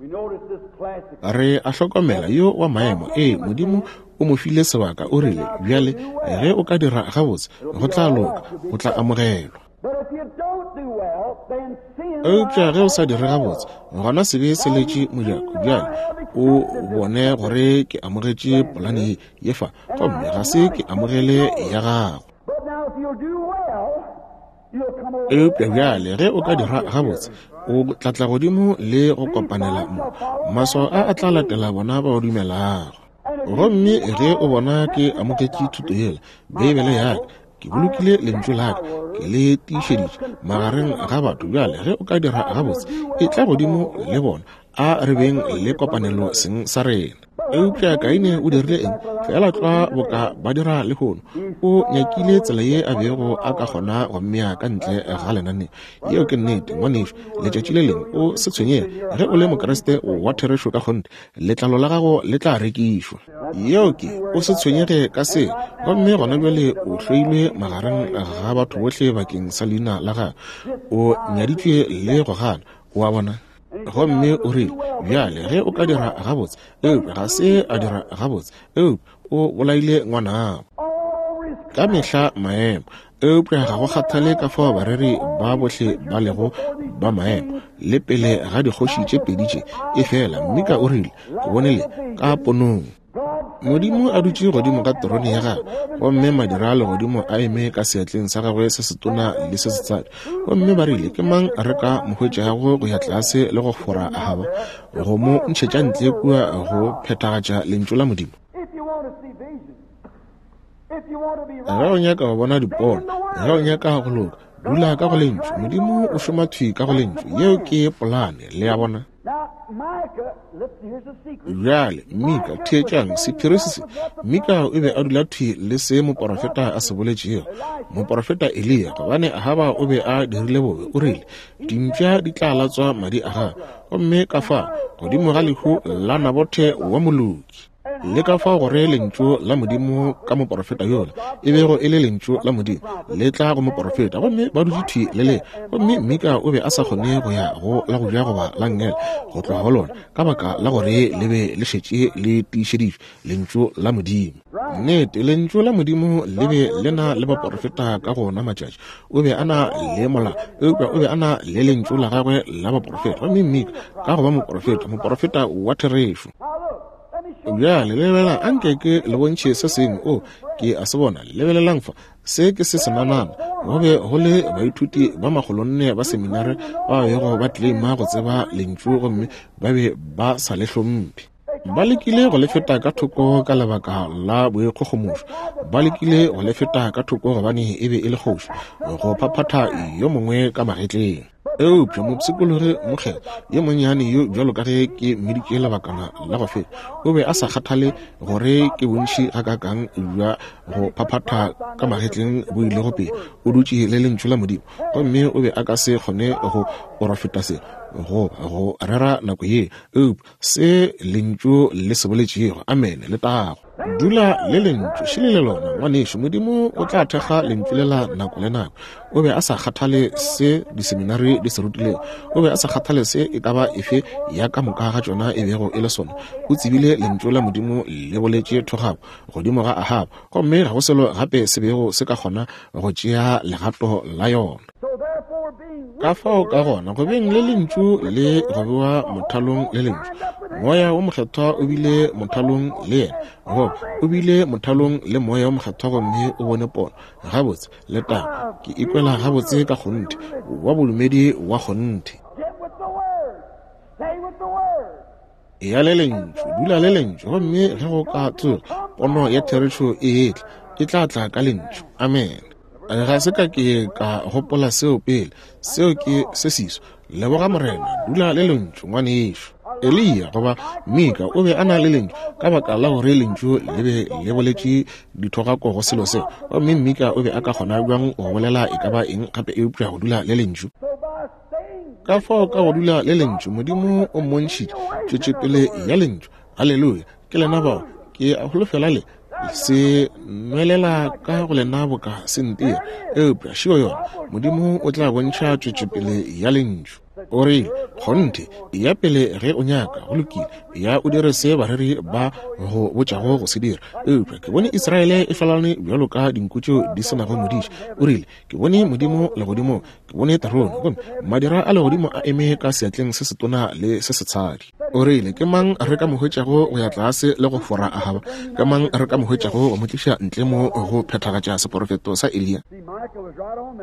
Re a hlokomela yo wa maemo. Ee, Modimo o mo file sebaka. O rile, Bjale, ge o ka dira gabotse, go tla loka. O tla amogelwa. Eupša ge o sa dire gabotse, gona sebe se letše mojako. Bjale o bone gore ke amogetše polane ye ye fa, gomme ga se ke amogele ya gago. Eupša bjale ge o ka dira gabotse, o tla tla godimo le go kopanela mo. Maswao a a tla latela bona ba o dumelago. Gomme ge o bona ke amogetše thuto yela, Beibele ya ka, Ke bolokile lentšu la ka, ke le tiišeditše magareng ga batho. Bjale ge o ka dira gabotse, e tla godimo le bona, a re beng le kopanelo seng sa rena. Eupša Kaine o dirile eng? Feela tlwa boka ba dira lehono. O nyakile tsela ye a bego a ka kgona go mmea ka ntle ga lenaneo. Yeo ke nnete, ngwanešu. Letšatši le lengwe, o se tshwenyege, ge o le Mokriste wa therešo ka kgonthe, letlalo la gago le tla rekišwa. Yeo ke, o se tshwenyege ka se. Gomme gona bjale o hloilwe magareng ga batho bohle bakeng sa leina la gagwe. O nyaditšwe le go gana. O a bona? Gomme o rile, Bjale, ge o ka dira gabotse. Eupša ga se a dira gabotse. Eupša o bolaile ngwanabo. Ka mehla maemo. Eupša ga go kgathale ka fao bareri ba bohle ba lego ba maemo, le pele ga dikgoši tše pedi tše, efela Mika o rile, Ke bone le ka ponong. Modimo a dutše godimo ga terone ya gagwe, gomme madira a legodimo a eme ka seatleng sa gagwe se setona le se setsadi. Gomme ba rile, Ke mang re ka mo hwetšago go ya tlase le go fora Ahaba, go mo ntšhetša ntle kua go phethagatša Lentšu la Modimo? Ge o nyaka go bona dipono, ge o nyaka go loka, dula ka go Lentšu. Modimo o šoma thwi ka go Lentšu. Yeo ke polane, le a bona. Bjale, Mika, theetšang sephiri se se. Mika o be a dula thwi le se moporofeta a se boletšego, moporofeta Eliya, gobane Ahaba o be a dirile bobe. O rile, Dimpša di tla latswa madi a gagwe, gomme ka fa godimo ga lehu la Nabothe wa moloki. Le ka fao gore Lentšu la Modimo ka moporofeta yola, e bego e le Lentšu la Modimo, le tla go moporofeta, gomme ba dutše thwi le le. Gomme Mika o be a sa kgone go ya go la go ja goba la nngele go tloga go lona, ka baka la gore le be le šetše le tiišeditšwe, Lentšu la Modimo. Nnete, Lentšu la Modimo le be le na le baporofeta ka go ona matšatši. O be a na le molao, eupša o be a na le Lentšu la gagwe la baporofeta. Gomme Mika, ka go ba moporofeta, moporofeta wa therešo. Bjale lebelelang, anke ke le bontšhe se sengwe. O, ke a se bona. Lebelelang fa. Se ke se senanana. Go be go le baithuti ba makgolonne ba seminare ba bego ba tleleima go tseba Lentšu gomme ba be ba sa le hlomphe. Ba lekile go le feta ka thoko ka lebaka la boikgogomošo. Ba lekile go le feta ka thoko gobane e be e le kgoši, go phaphatha yo mongwe ka magetleng. Eupša mopshikologi mokgethwa yo monnyane yo, bjalo ka ge ke mmiditše lebakana la go feta, o be a sa kgathale gore ke bontši gakaakang bja go phaphatha ka magetleng bo ilego pele. O dutše le Lentšu la Modimo, gomme o be a ka se kgone go porofeta se. go go rera nako ye, eupša se Lentšu le se boletšego. Amene. Letago. Dula le Lentšu, šele le lona, ngwanešu. Modimo o tla thekga Lentšu lela nako le nako. O be a sa kgathale se diseminari di se rutilego. O be a sa kgathale se e ka ba efe ya ka moka ga tšona e bego e le sona. O tsebile Lentšu la Modimo le boletše thogako godimo ga Ahaba, gomme ga go selo gape se bego se ka kgona go tšea legato la yona. Ka fao ka gona go beng le Lentšu le go bewa mothalong le Lentšu, Moya wo Mokgethwa o bile mothalong le yena, goba o bile mothalong le Moya wo Mokgethwa gomme o bone pono. Gabotse, letago, ke ikwela gabotse ka kgonthe, wa bodumedi wa kgonthe. Eya le Lentšu, dula le Lentšu, gomme ge go ka tsoga pono ya therešo e etla, e tla tla ka Lentšu. Amen. Ga se ka ke ka gopola seo pele. Seo ke se seswa. Leboga Morena, dula le Lentšu, ngwanešu. Eliya goba Mika o be a na le Lentšu ka baka la gore Lentšu le be le boletše dithogako go selo seo. Gomme Mika o be a ka kgona bjang go bolela e ka ba eng gape eupša go dula le Lentšu? Ka fao ka go dula le Lentšu, Modimo o mmontšhitše tšwetšopele ya Lentšu. Haleluya! Ke lena bao. Ke a holofela le se nwelela ka go lena boka se ntira. Eupša šio yona, Modimo o tla bontšha tšwetšopele ya Lentšu. O rile, Kgonthe, eya pele ge o nyaka, go lokile, eya o dire se bareri ba go botšago go se dira. Eupša ke bone Israele e hlalane bjalo ka dinku tšeo di se nago modiši. O rile, Ke bone Modimo legodimong, ke bone terone, gomme madira a legodimo a eme ka seatleng se setona le se setshadi. O rile, Ke mang re ka mo hwetšago go ya tlase le go fora Ahaba? Ke mang re ka mo hwetšago go mo tliša ntle mo go phethagatša seporofeto sa Eliya?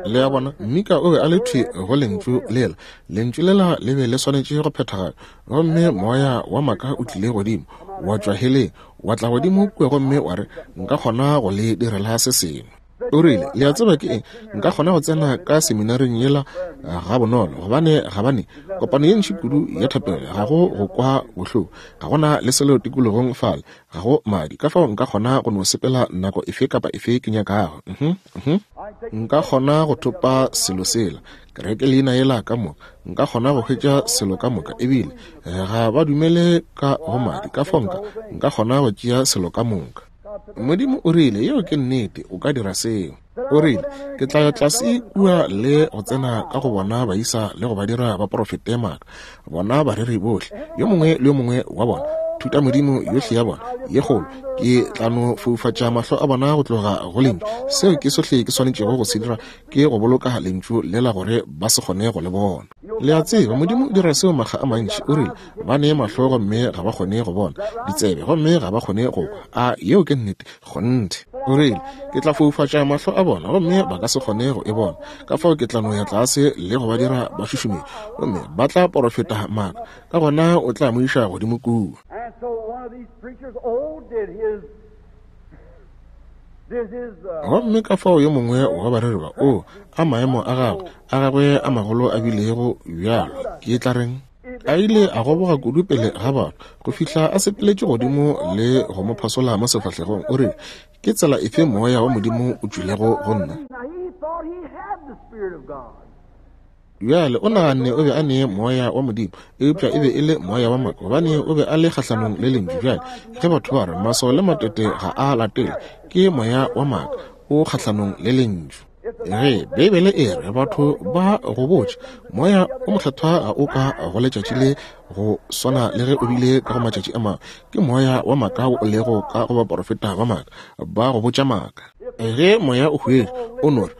Le a bona, Mika o be a le thwi go Lentšu lela. Lentšu lela le be le swanetše go phethagatšwa. Gomme moya wa maaka o tlile godimo, wa tšwa heleng, wa tla godimo kua gomme wa re, Nka kgona go le direla se sengwe. O rile, Le a tseba ke eng? Nka kgona go tsena ka seminaring yela ga bonolo, gobane gabane kopano ye ntši kudu ya thapelo, ga go go kwa bohloko, ga gona le selo tikologong fale, ga go madi, ka fao nka kgona go no sepela nako efe kapa efe ke nyakago. Uh -huh, uh -huh. Nka kgona go thopa selo sela, kereke leina yela ka moka, nka kgona go hwetša selo ka moka, ebile ga ba dumele ka go madi, ka fao nka, nka kgona go tšea selo ka moka. Modimo o rile, Yeo ke nnete, o ka dira seo. O rile, Ke tla ya tlase kua le go tsena ka go bona baisa le go ba dira ba porofete maaka, bona bareri bohle, yo mongwe le yo mongwe wa bona, thutamodimo yohle ya bona ye kgolo. Ke tla no foufatša mahlo a bona go tloga go Lentšu. Seo ke sohle ke swanetšego go se dira, ke go boloka Lentšu lela gore ba se kgone go Le bona. Le a tseba, Modimo o dira seo makga a mantši. O rile, Ba ne mahlo gomme ga ba kgone go bona, ditsebe gomme ga ba kgone go kwa. A yeo ke nnete? Kgonthe. O rile, Ke tla foufatša mahlo a bona gomme ba ka se kgone go e bona. Ka fao ke tla no ya tlase le go ba dira ba šušumele, gomme ba tla porofeta maaka. Ka gona o tla mo iša godimo kua. Gomme ka fao yo mongwe wa bareri ba, oo, a maemo a gagwe, a gagwe a magolo a bilego bjalo, ke tla reng? A ile a goboga kudu pele ga batho, go fihla a sepeletše godimo le go mo phasola mo sefahlegong. O rile, Ke tsela efe Moya wa Modimo o tšwilego go nna? Bjale o naganne o be a ne Moya wa Modimo, eupša e be e le moya wa maaka, gobane o be a le kgahlanong le Lentšu. Bjale ge batho ba re maswao le matete ga a latele, ke moya wa maaka, o kgahlanong le Lentšu. Ge Beibele e re batho ba go botša moya o mokgethwa ga o ka go letšatši le go swana le ge o bile ka go matšatši a mangwe, ke moya wa maaka o lego ka go baporofeta ba maaka, ba go botša maaka. Ge moya o hwetše o no re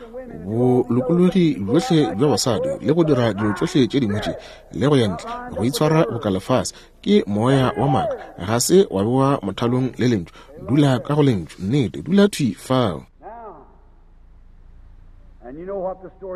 bolokologi bjohle bja basadi le go dira dilo tšohle tše dingwe tše le go ya ntle go itshwara boka lefase, ke moya wa maaka, ga se wa bewa mothalong le Lentšu. Dula ka go Lentšu, nnete, dula thwi fao.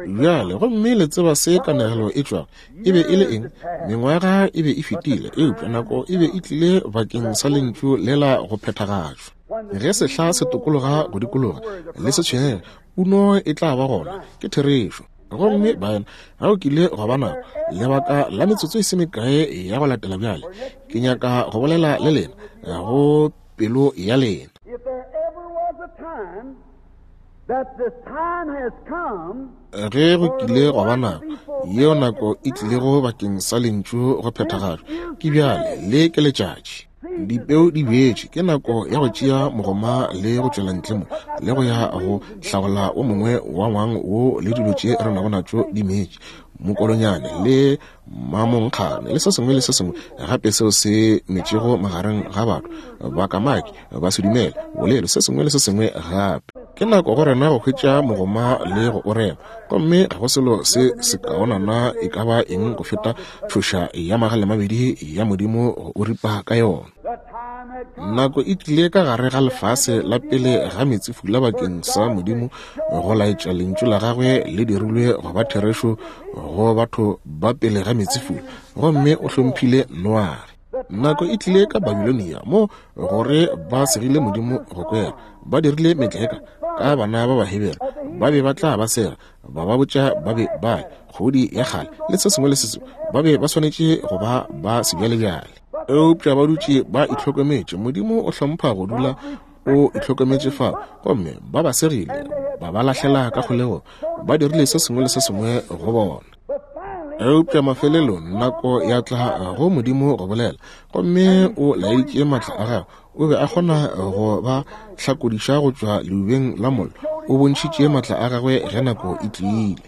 Bjale, gomme le tseba se kanegelo e tšwago. E be e le eng? Mengwaga e be e fetile, eupša nako e be e tlile bakeng sa Lentšu lela go phethagatšwa. Ge sehla se tokologa go dikologa, le se tshwenyege, puno e tla ba gona. Ke therešo. Gomme baena, ga o kile gwa ba nako, lebaka la metsotso e se mekae ya go latela bjale, ke nyaka go bolela le lena go pelo ya lena. Ge go kile gwa ba nako yeo nako e tlilego bakeng sa Lentšu go phethagatšwa, ke bjale, le ke letšatši. Dipeu di bjetšwe, ke nako ya go tšea mogoma le go tšwela ntle mo le go ya go hlagola o mongwe wa ngwang wo le dilo tše re nago natšo di metše, mokolonyane le mamonkgane le se sengwe le se sengwe gape seo se metšego magareng ga batho, bakamaki, basedumele, bolelo, se sengwe le se sengwe gape. Ke nako go rena go hwetša mogoma le go o rema, gomme ga go selo se sekaonana e ka ba eng go feta tšhoša ya magalemabedi ya Modimo go o ripa ka yona. Nako e tlile ka gare ga lefase la pele ga meetsefula bakeng sa Modimo go laetša Lentšu la Gagwe le dirilwe go ba therešo go batho ba pele ga meetsefula, gomme o hlomphile Noage. Nako e tlile ka Babilonia mo gore ba segile Modimo go kwera, ba dirile metleka ka bana ba Bahebere, ba be ba tla ba sega, ba ba botša ba be ba kgodi ya kgale le se sengwe le se sengwe, ba be ba swanetše go ba ba sebjalebjale. Eupša ba dutše ba itlhokometše. Modimo o hlompha go dula o itlhokometše fao, gomme ba ba segile, ba ba lahlela ka kgolegong, ba dirile se sengwe le se sengwe go bona. Eupša mafelelong nako ya tla go Modimo go bolela, gomme o laeditše maatla a gagwe. O be a kgona go ba hlakodiša go tšwa leubeng la mollo. O bontšhitše maatla a gagwe ge nako e tlile.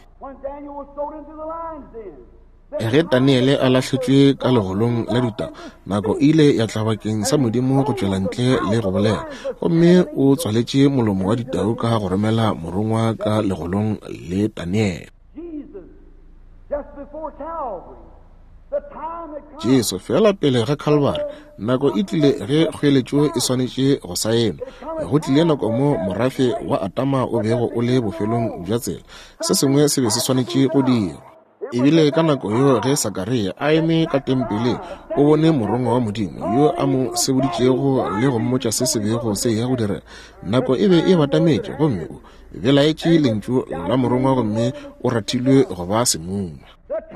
Ge Daniele a lahletšwe ka legolong la ditau, nako e ile ya tla bakeng sa Modimo go tšwela ntle le go bolela, gomme o tswaletše molomo wa ditau ka go romela morongwa ka legolong le Daniele. Jesu, feela pele ga Calvary, nako e tlile ge kgoeletšo e swanetše go saenwa. Go tlile nako mo morafe wa Adama o bego o le bofelong bja tsela. Se sengwe se be se swanetše go dirwa. Ebile ka nako yeo ge Sakaria a eme ka tempeleng, o bone morongwa wa Modimo yo a mo seboditšego le go mmotša se se bego se eya go direga. Nako e be e batametše, gomme o belaetše lentšu la morongwa gomme o rathilwe go ba semuma.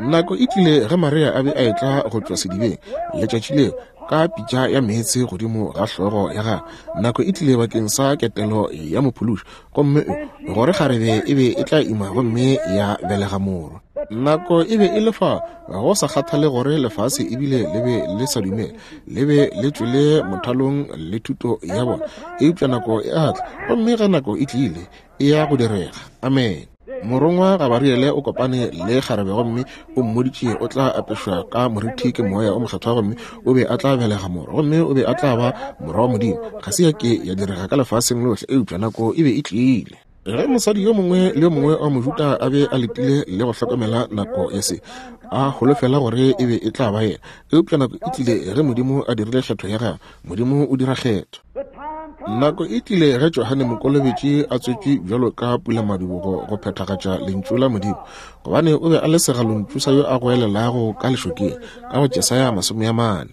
Nako e tlile ge Maria a be a etla go tšwa sedibeng letšatši leo ka pitša ya meetse godimo ga hlogo ya gagwe. Nako e tlile bakeng sa ketelo ya Mophološi, gomme gore kgarebe e be e tla ima gomme ya belega morwa. Nako e be e le fa, go sa kgathale gore lefase ebile le be le sa dumele, le be le tšwele mothalong le thuto ya bona, eupša nako e a tla, gomme ge nako e tlile, e ya go direga. Amene. Morongwa Gabariele o kopane le kgarebe gomme o mmoditše o tla apešwa ka morithi ke moya o mokgethwa gomme o be a tla belega morwa gomme o be a tla ba morwa wa Modimo. Ga se ya ke ya direga ka lefaseng lohle, eupša nako e be e tlile. Ge mosadi yo mongwe le yo mongwe wa Mojuda a be a letile le go hlokomela nako ya se, a holofela gore e be e tla ba yena, eupša nako e tlile ge Modimo a dirile kgetho ya gagwe. Modimo o dira kgetho. Nako e tlile ge Johane Mokolobetši a tswetšwe bjalo ka pulamadibogo go phethagatša Lentšu la Modimo, gobane o be a le segalontšu sa yo a goelelago ka lešokeng, ka go Jesaya 40,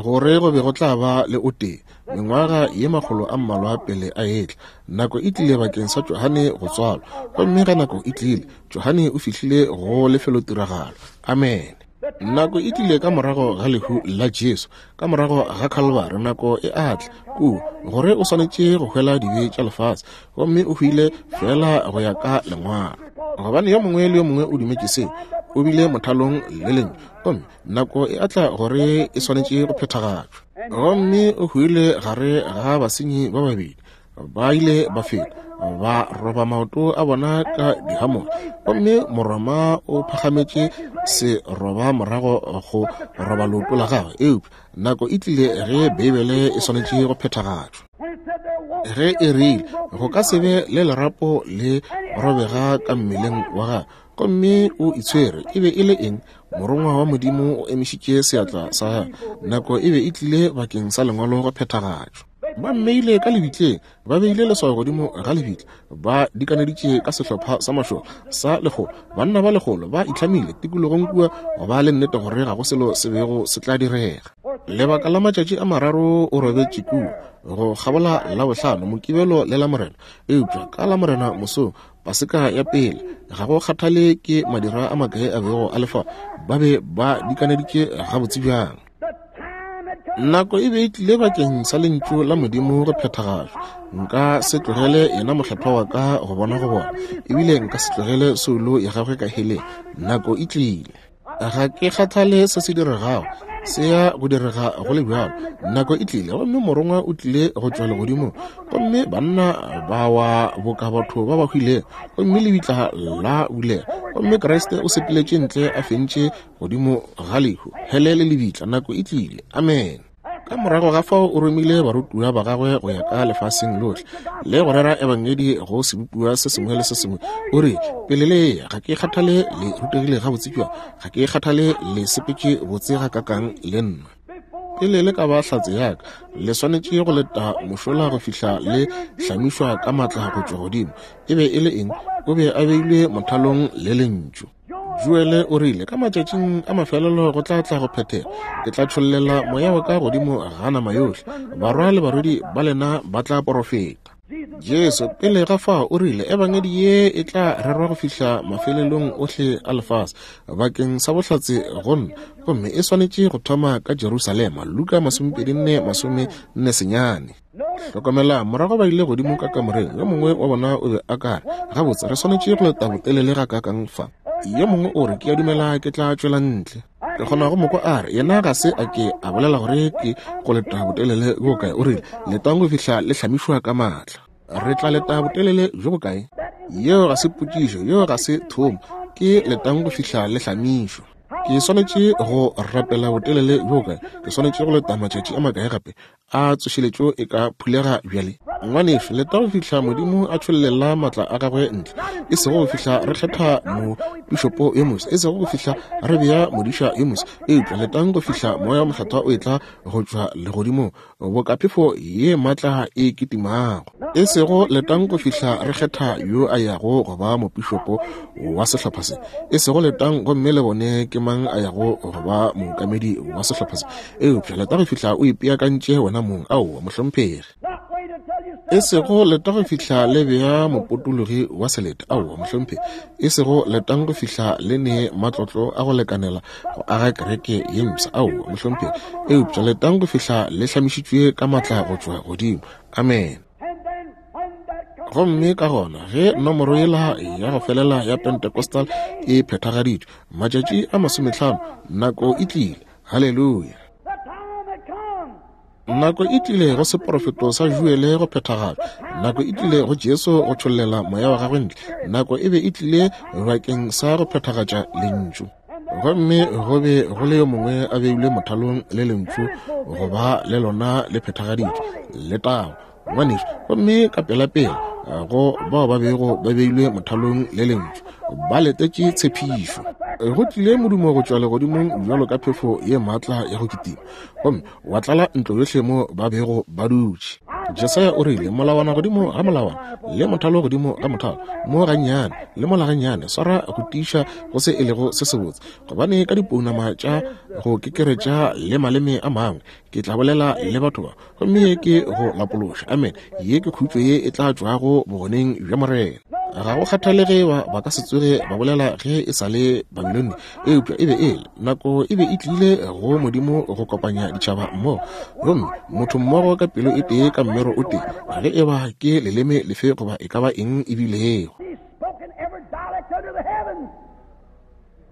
gore go be go tla ba le o tee mengwaga ye makgolo a mmalwa pele a etla. Nako e tlile bakeng sa Johane go tswalwa, gomme ge nako e tlile, Johane o fihlile go lefelotiragalo. Amene. Nako e tlile ka morago ga lehu la Jesu, ka morago ga Calvary, nako e a tla kua gore o swanetše go hwela dibe tša lefase, gomme o hwile feela go ya ka Lengwalo, gobane yo mongwe le yo mongwe o dumetše seo, o bile mothalong le Lentšu, gomme nako e a tla gore e swanetše go phethagatšwa. Gomme o hwile gare ga basenyi ba babedi, ba ile ba feta ba roba maoto a bona ka dihamola, gomme Moroma o phagametše se roba morago go roba leoto la gagwe. Eupša nako e tlile ge Beibele e swanetše go phethagatšwa, ge e rile go ka se be le lerapo le robega ka mmeleng wa gagwe, gomme o itshwere. E be e le eng? Morongwa wa Modimo o emišitše seatla sa gagwe. Nako e be e tlile bakeng sa Lengwalo go phethagatšwa. Ba mmeile ka lebitleng, ba beile leswao godimo ga lebitla, ba dikaneditše ka sehlopha sa mašole sa lekgolo, banna ba lekgolo ba itlhamile tikologong kua go ba le nnete gore ga go selo se bego se tla direga. Lebaka la matšatši a mararo o robetše kua, go kgabola Labohlano, Mokibelo le Lamorena, eupša ka Lamorena mosong, Paseka ya pele, ga go kgathale ke madira a makae a bego a le fa, ba be ba dikaneditše gabotse bjang. Nako e be e tlile bakeng sa Lentšu la Modimo go phethagatšwa. Nka se tlogele yena mokgethwa wa ka go bona go bona, ebile nka se tlogele soulo ya gagwe ka heleng. Nako e tlile. Ga ke kgathale se se diregago, se ya go direga go le bjalo. Nako e tlile, gomme morongwa o tlile go tšwa legodimong, gomme banna ba wa boka batho ba ba hwilego, gomme lebitla la bulega, gomme Kriste o sepeletše ntle a fentše godimo ga lehu, hele le lebitla. Nako e tlile. Amen. Ka morago ga fao o romile barutiwa ba gagwe go ya ka lefaseng lohle le go rera ebangedi go sebopiwa se sengwe le se sengwe. O re, Pele le eya, ga ke kgathale le rutegile gabotse bjang, ga ke kgathale le sepetše botse gakakang le nna. Pele le ka ba hlatse ya ka, le swanetše go leta mošola go fihla le hlamišwa ka matla go tšwa godimo. E be e le eng? O be a beilwe mothalong le Lentšu. Joele o rile, Ka matšatšing a mafelelo go tla tla go phethega, ke tla tšhollela moya wa ka godimo ga nama yohle, barwa le barwedi ba lena ba tla porofeta. Jesu pele ga fao o rile, Ebangedi ye e tla rerwa go fihla mafelelong ohle a lefase bakeng sa bohlatse go nna, gomme e swanetše go thoma ka Jerusalema. Luka 24 49. Hlokomela, morago ba ile godimo ka kamoreng. Yo mongwe wa bona o be a ka re, Gabotse, re swanetše go leta botelele gakaakang fa? Yo mongwe o re, Ke a dumela ke tla tšwela ntle. Ke kgona go mo kwa a re, Yena ga se a ke a bolela gore ke go leta botelele bjo bokae. O rile, Letang go fihla le hlamišwa ka maatla. Re tla leta botelele bjo bokae? Yeo ga se potšišo, yeo ga se thomo. Ke letang go fihla le hlamišwa. Ke swanetše go rapela botelele bjo bokae? Ke swanetše go leta matšatši a makae gape? A tsošeletšo e ka phulega bjale? Ngwanešu, leta go fihla Modimo a tšhollela maatla a gagwe ntle, e sego go fihla re kgetha mopišopo yo mofsa, e sego go fihla re bea modiša yo mofsa, eupša letang go fihla Moya wo Mokgethwa o etla go tšwa legodimong boka phefo ye maatla e kitimago. E sego letang go fihla re kgetha yo a yago go ba mopišopo wa sehlopha se, e sego letang gomme le bone ke mang a yago go ba mookamedi wa sehlopha se, eupša leta go fihla o ipeakantše wena mong. Aowa, mohlomphegi. E sego leta go fihla le bea mopotologi wa selete. Aowa, mohlomphegi. E sego letang go fihla le ne matlotlo a go lekanela go aga kereke ye mpsha. Aowa, mohlomphegi. Eupša letang go fihla le hlamišitšwe ka matla go tšwa godimo. Amen. Gomme ka gona ge nomoro yela ya go felela ya Pentecostal e phethagaditšwe, matšatši a masometlhano, nako e tlile. Haleluya! Nako e tlile go seporofeto sa Joele go phethagatšwa. Nako e tlile go Jesu go tšhollela moya wa gagwe ntle. Nako e be e tlile bakeng sa go phethagatša Lentšu. Gomme go be go le yo mongwe a beilwe mothalong le Lentšu go ba le lona le phethagaditšwe. Letago! Ngwanešu, gomme ka pelapela go bao ba bego ba beilwe mothalong le lentšu ba letetše tshepišo. Go tlile modumo go tšwa legodimong bjalo ka phefo ye maatla ya go kitima, gomme wa tlala ntlo yohle mo ba bego ba dutše. Jesaya o rile, Molawana godimo ga molawana, le mothalo godimo ga mothalo, mo gannyane le mola gannyane, swara go tiiša go se e lego se sebotse, gobane ka dipounama tša go kekeretša le maleme a mangwe ke tla bolela le batho ba, gomme ye ke go lapološa. Amen. Ye ke khutšo ye e tla tšwago bogoneng bja Morena. Ga go kgathale ge ba ba ka se tsoge ba bolela ge e sa le Babilone, eupša e be e le nako e be e tlile go Modimo go kopanya ditšhaba mmogo, gomme motho mmogo ka pelo e tee ka mmero o tee, ge e ba ke leleme lefe goba e ka ba eng e bilego.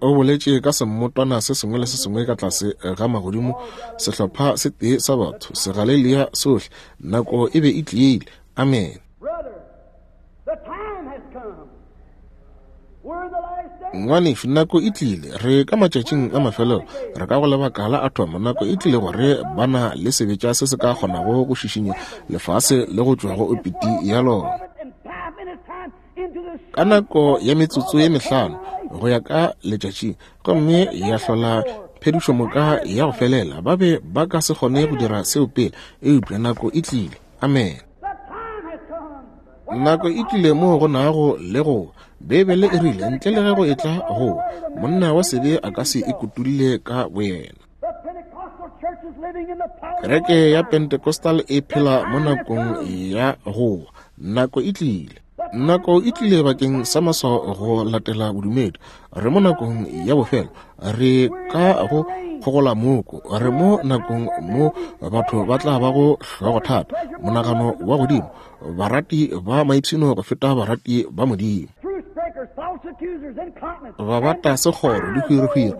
O boletše ka semmotwana se sengwe le se sengwe ka tlase ga magodimo, sehlopha se tee sa batho, Segalelia sohle. Nako e be e tlile. Amene. Ngwanešu, nako e tlile. Re ka matšatšing a mafelelo. Re ka go lebaka la athomo. Nako e tlile gore ba na le sebetša se se ka kgonago go šišinya lefase le go tšwa go opiti ya lona. Ka nako ya metsotso ye mehlano go ya ka letšatšing, gomme ya hlola phedišomoka ya go felela. Ba be ba ka se kgone go dira seo pele, eupša nako e tlile. Amen. Nako e tlile moo go nago le go. Beibele e rile, ntle le ge go etla go, monna wa sebe a ka se ikutulle ka boyena. Kereke ya Pentecostal e phela mo nakong ya go. Nako e tlile. Nako e tlile bakeng sa maswao go latela bodumedi. Re mo nakong ya bofelo. Re ka go kgogola moko. Re mo nakong mo batho ba tla bago hlogothata, monagano wa godimo, barati ba maipshino go feta barati ba Modimo. Ba bata sekgoro, dihwirihwiri,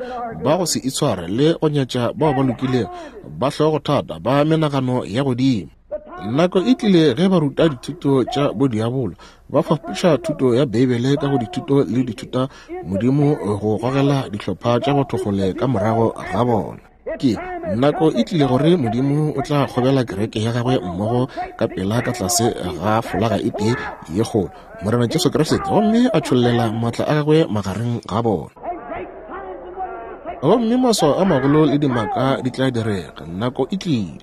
ba go se itshware le go nyatša bao ba lokilego, ba hlogothata, ba menagano ya godimo. Nako e tlile ge ba ruta dithuto tša bodiabolo, ba fapoša thuto ya Beibele ka go dithuto le dithuta Modimo go gogela dihlopha tša batho kgole ka morago ga bona. Ke nako e tlile gore Modimo o tla kgobela kereke ya gagwe mmogo ka pela ka tlase ga folaga e tee ye kgolo, Morena Jesu Kriste, gomme a tšhollela maatla a gagwe magareng ga bona. Gomme maswao a magolo le dimaka di tla direga. Nako e tlile.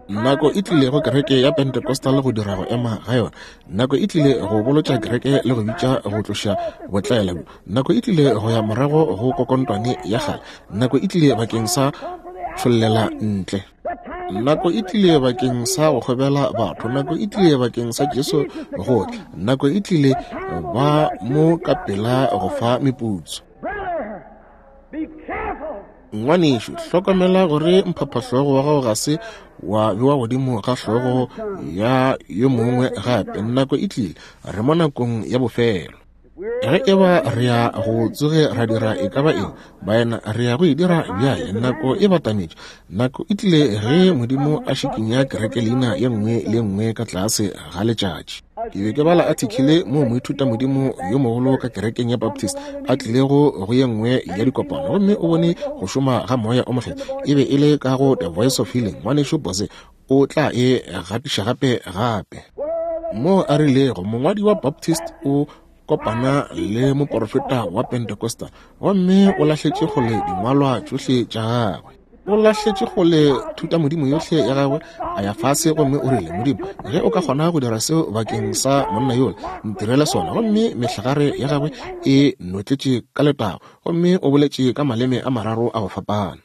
Nako e tlile go kereke ya Pentecostal go dira go ema ga yona. Nako e tlile go bolotša kereke le go bitša go tloša botlaela bjo. Nako e tlile go ya morago go kokontwane ya kgale. Nako e tlile bakeng sa tšhollela ntle. Nako e tlile bakeng sa go kgobela batho. Nako e tlile bakeng sa Jesu go tla. Nako e tlile ba mo ka pela go fa meputso. Ngwanešu, hlokomela gore mphaphahlogo wa gago ga se wa bewa godimo ga hlogo ya yo mongwe gape. Nako e tlile, re mo nakong ya bofelo. Ge e ba re ya go tsoge ra dira e ka ba eng, baena, re ya go e dira bjale. Nako e batametše. Nako e tlile ge Modimo a šikinya kereke leina ye nngwe le ye nngwe ka tlase ga letšatši. Ke be ke bala athikile moo moithutamodimo yo mogolo ka kerekeng ya Baptist a tlilego go ye nngwe ya dikopano gomme o bone go šoma ga Moya o Mokgethwa. E be e le ka go The Voice of Healing. Ngwanešu Boze o tla e gatiša gape gape. Moo a rilego, mongwadi wa Baptist o kopana le moporofeta wa Pentecostal gomme o lahletše kgole dingwalwa tšohle tša gagwe. O lahletše kgole thutamodimo yohle ya gagwe, a ya fase gomme o rile, Modimo, ge o ka kgona go dira seo bakeng sa monna yola, ntirele sona. Gomme mehlagare ya gagwe e notletše ka letago, gomme o boletše ka maleme a mararo a go fapana.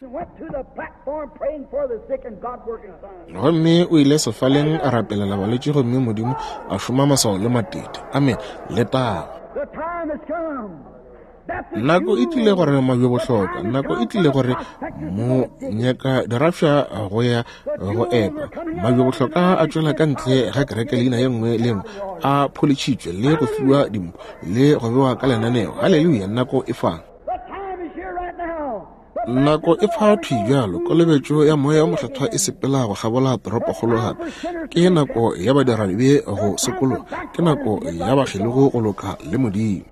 Gomme o ile sefaleng a rapelela balwetši, gomme Modimo a šoma maswao le matete. Amene. Letago. Nako e tlile gore mabjebohloka, nako e tlile gore mo nyaka dirafša go ya go epa. Mabjebohloka a tšwela ka ntle ga kereke leina ye nngwe le nngwe, a pholitšhitšwe le go fiwa dimpho le go bewa ka lenaneo. Haleluya, nako e fa. Nako e fa thwi bjalo, kolobetšo ya Moya o Mokgethwa e sepela go kgabola toropokgolo gape. Ke nako ya badiradibe go sokologa, ke nako ya bakgelogi go loka le Modimo.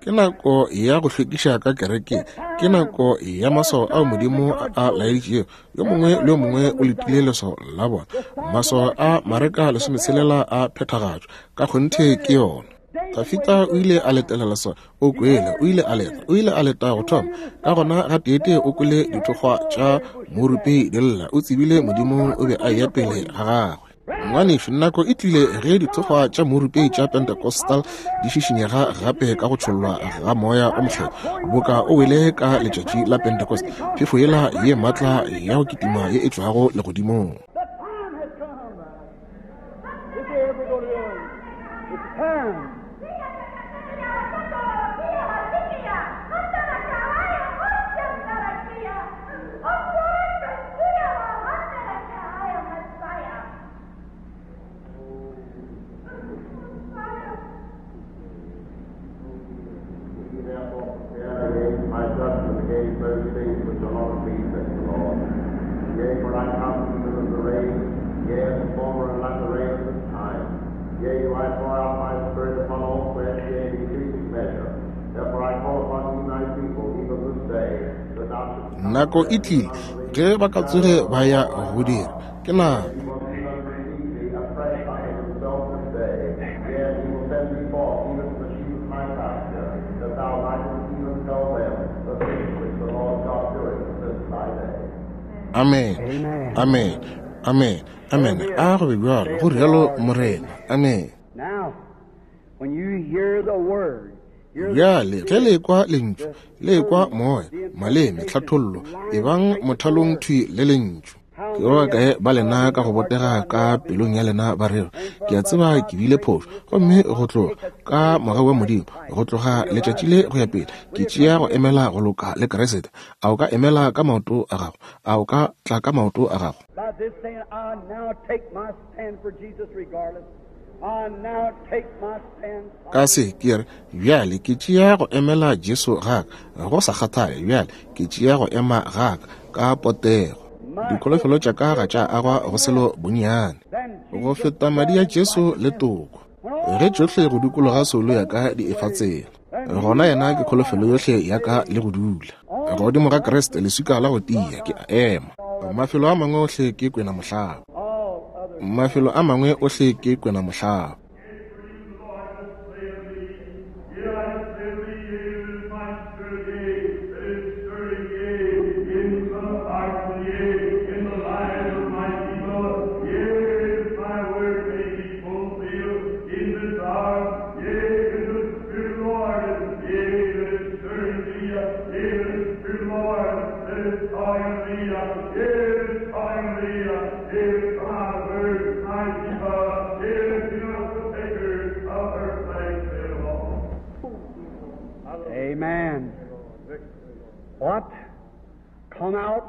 Ke nako ya go hlwekiša ka kerekeng. Ke nako ya maswao ao Modimo a a laeditšego. Yo mongwe le yo mongwe o letile leswao la bona. Maswao a Mareka lesometshelela a phethagatšwa. Ka kgonthe ke yona. Dafita o ile a letela leswao. O kwele, o ile a leta, o ile a leta go thoma. Ka gona gateetee o kwele dithokgwa tša morupei di lla. O tsebile Modimo o be a eya pele ga gagwe. Ngwanešu, nako e tlile ge dithokgwa tša morupei tša Pentecostal di šišinyega gape ka go tšhollwa ga Moya o Mokgethwa, boka o wele ka letšatši la Pentecost, phefo yela ye maatla ya go kitima ye e tšwago legodimong. Nako e tlile ge ba ka tsoge ba ya go dira. Ke nako. Amen. Amen. Amen. Amen. A go be bjalo, go rialo Morena. Amen. Bjale, ge le ekwa Lentšu, le ekwa Moya, maleme, tlhathollo, ebang mothalong thwi le Lentšu. Ke ba bakae ba lena ka go botega ka pelong ya lena ba rego, Ke a tseba ke bile phošo, gomme go tloga, ka mogau wa Modimo, go tloga letšatši le go ya pele, ke tšea go emela go loka le Kriste. A o ka emela ka maoto a gago? A o ka tla ka maoto a gago? Ka se, ke re, Bjale ke tšea go emela Jesu ga ka, go sa kgathale. Bjale ke tšea go ema ga ka, ka potego. Dikholofelo tša ka ga tša agwa go selo bonnyane go feta madi a Jesu le toko. Ge tšohle go dikologa soulo ya ka di efa tsela, gona yena ke kholofelo yohle ya ka le go dula. Godimo ga Kriste, leswika la go tia, ke a ema. Mafelo a mangwe ohle ke kwena mohlaba. Mafelo a mangwe ohle ke kwena mohlaba.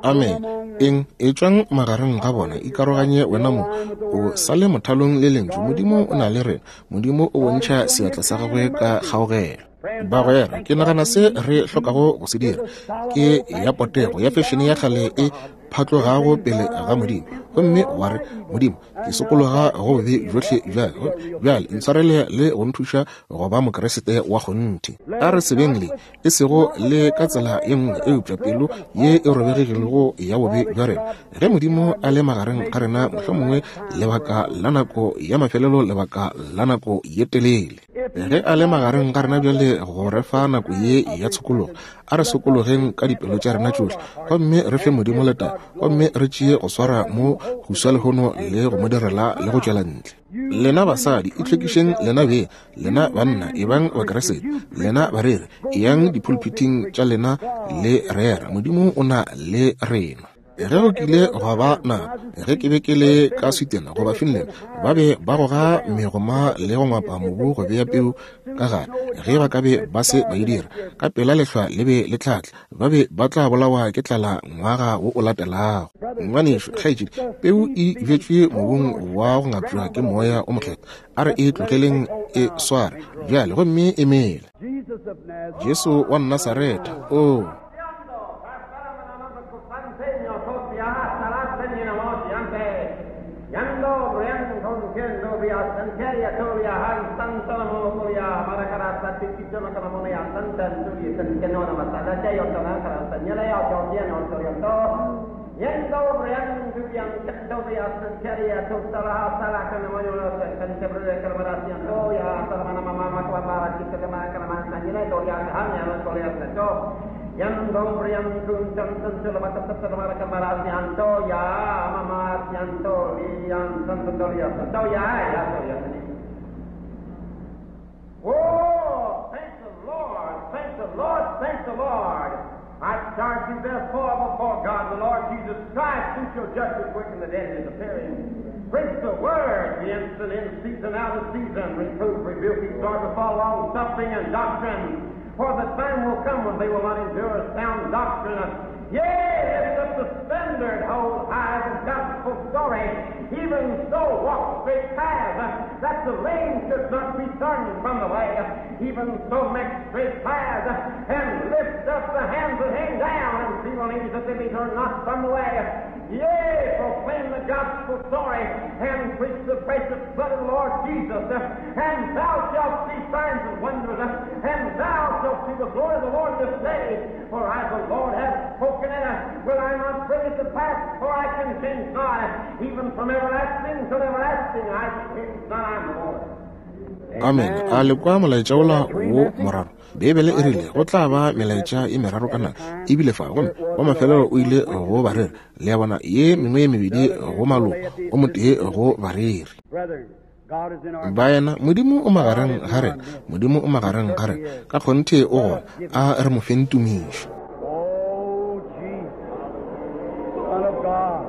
Amene. Eng? Etšwang magareng ga bona, ikaroganye wenamong, o sa le mothalong le Lentšu. Modimo o na le rena. Modimo o bontšha seatla sa gagwe ka kgaogelo. Bagwera, ke nagana se re hlokago go se dira ke ya potego ya fešene ya kgale e phatlogago pele ga Modimo, gomme wa re, Modimo, ke sokologa go bobe bjohle bjale, bjale ntshwarele le go nthuša go ba Mokriste wa kgonthe. A re sebeng le, e sego le ka tsela ye nngwe, eupša pelo ye e robegilego ya bobe bja rena. Ge Modimo a le magareng ga rena, mohlomongwe lebaka la nako ya mafelelo, lebaka la nako ye telele. Ge a le magareng ga rena bjale go re fa nako ye ya tshokologo, a re sokologeng ka dipelo tša rena tšohle gomme re fe Modimo letago, gomme re tšee go swara mo go swa lehono le go mo direla le go tšwela ntle. Lena basadi, itlhwekišeng lena beng. Lena banna, ebang Bakriste. Lena bareri, eyang dipulpiting tša lena le rera. Modimo o na le rena. Ge go kile gwa ba nako ge ke be ke le ka Sweden goba Finland, ba be ba goga megoma le go ngwapa mobu go bea peu ka gare. Ge ba ka be ba se ba e dira, ka pela lehlwa le be le tla tla. Ba be ba tla bolawa ke tlala ngwaga wo o latelago. Ngwanešu, kgaetšedi, peu e bjetšwe mobung wa go ngapšwa ke Moya o Mokgethwa. A re e tlogeleng e sware bjale gomme e mele. Jesu wa Nasaretha, oo! Oh, thank the Lord, thank the Lord, thank the Lord. I charge you therefore before God, the Lord Jesus Christ, who shall judge the quick and the dead in his appearing. Preach the word, be instant in season, out of season, reprove, rebuke, exhort with all long suffering and doctrine. For the time will come when they will not endure sound doctrine. Yea, lift up the standard, hold high the gospel story. Even so, walk straight paths, that the lame should not be turned from the way. Even so, make straight paths, and lift up the hands that hang down, and feeble knees that they be turned not from the way. Yea, proclaim the gospel story, and preach the precious blood of the Lord Jesus, and thou shalt see signs and wonders, and thou shalt see the glory of the Lord this day. For I, the Lord, have spoken it. Will I not bring it to pass? For I can change not. Even from everlasting to everlasting, I change not. I am the Lord. Amen. A le kwa molaetša wola wo moraro? Beibele e rile go tla ba melaetša e meraro ka nako ebile fa, gomme wa mafelelo o ile go bareri. Le a bona, ye mengwe ye mebedi go maloko, o motee go bareri. Baena, Modimo o magareng ga rena. Modimo o magareng ga rena. Ka kgonthe o gona. A re mo feng tumišo. Oh, Jesus, Son of God.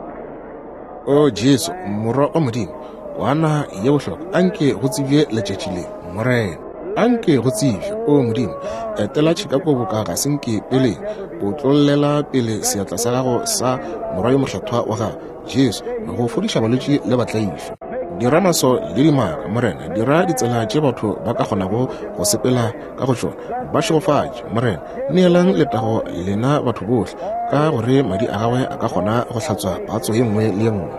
O Jesu, Morwa wa Modimo, Kwana ye bohlokwa, anke go tsebje letšatši le, Morena. Anke go tsebje, O Modimo, etela Chicago boka ga se nke peleng, otlollela pele seatla sa gago sa Morwa yo Mokgethwa wa gago, Jesu, go fodiša balwetši le batlaišwa. Dira maso le dimaka, Morena, dira ditsela tše batho ba ka kgonago go sepela ka go tšona. Ba šegofatše, Morena. Neelang letago lena batho bohle, ka gore madi a gagwe a ka kgona go hlatswa patso ye nngwe le ye nngwe.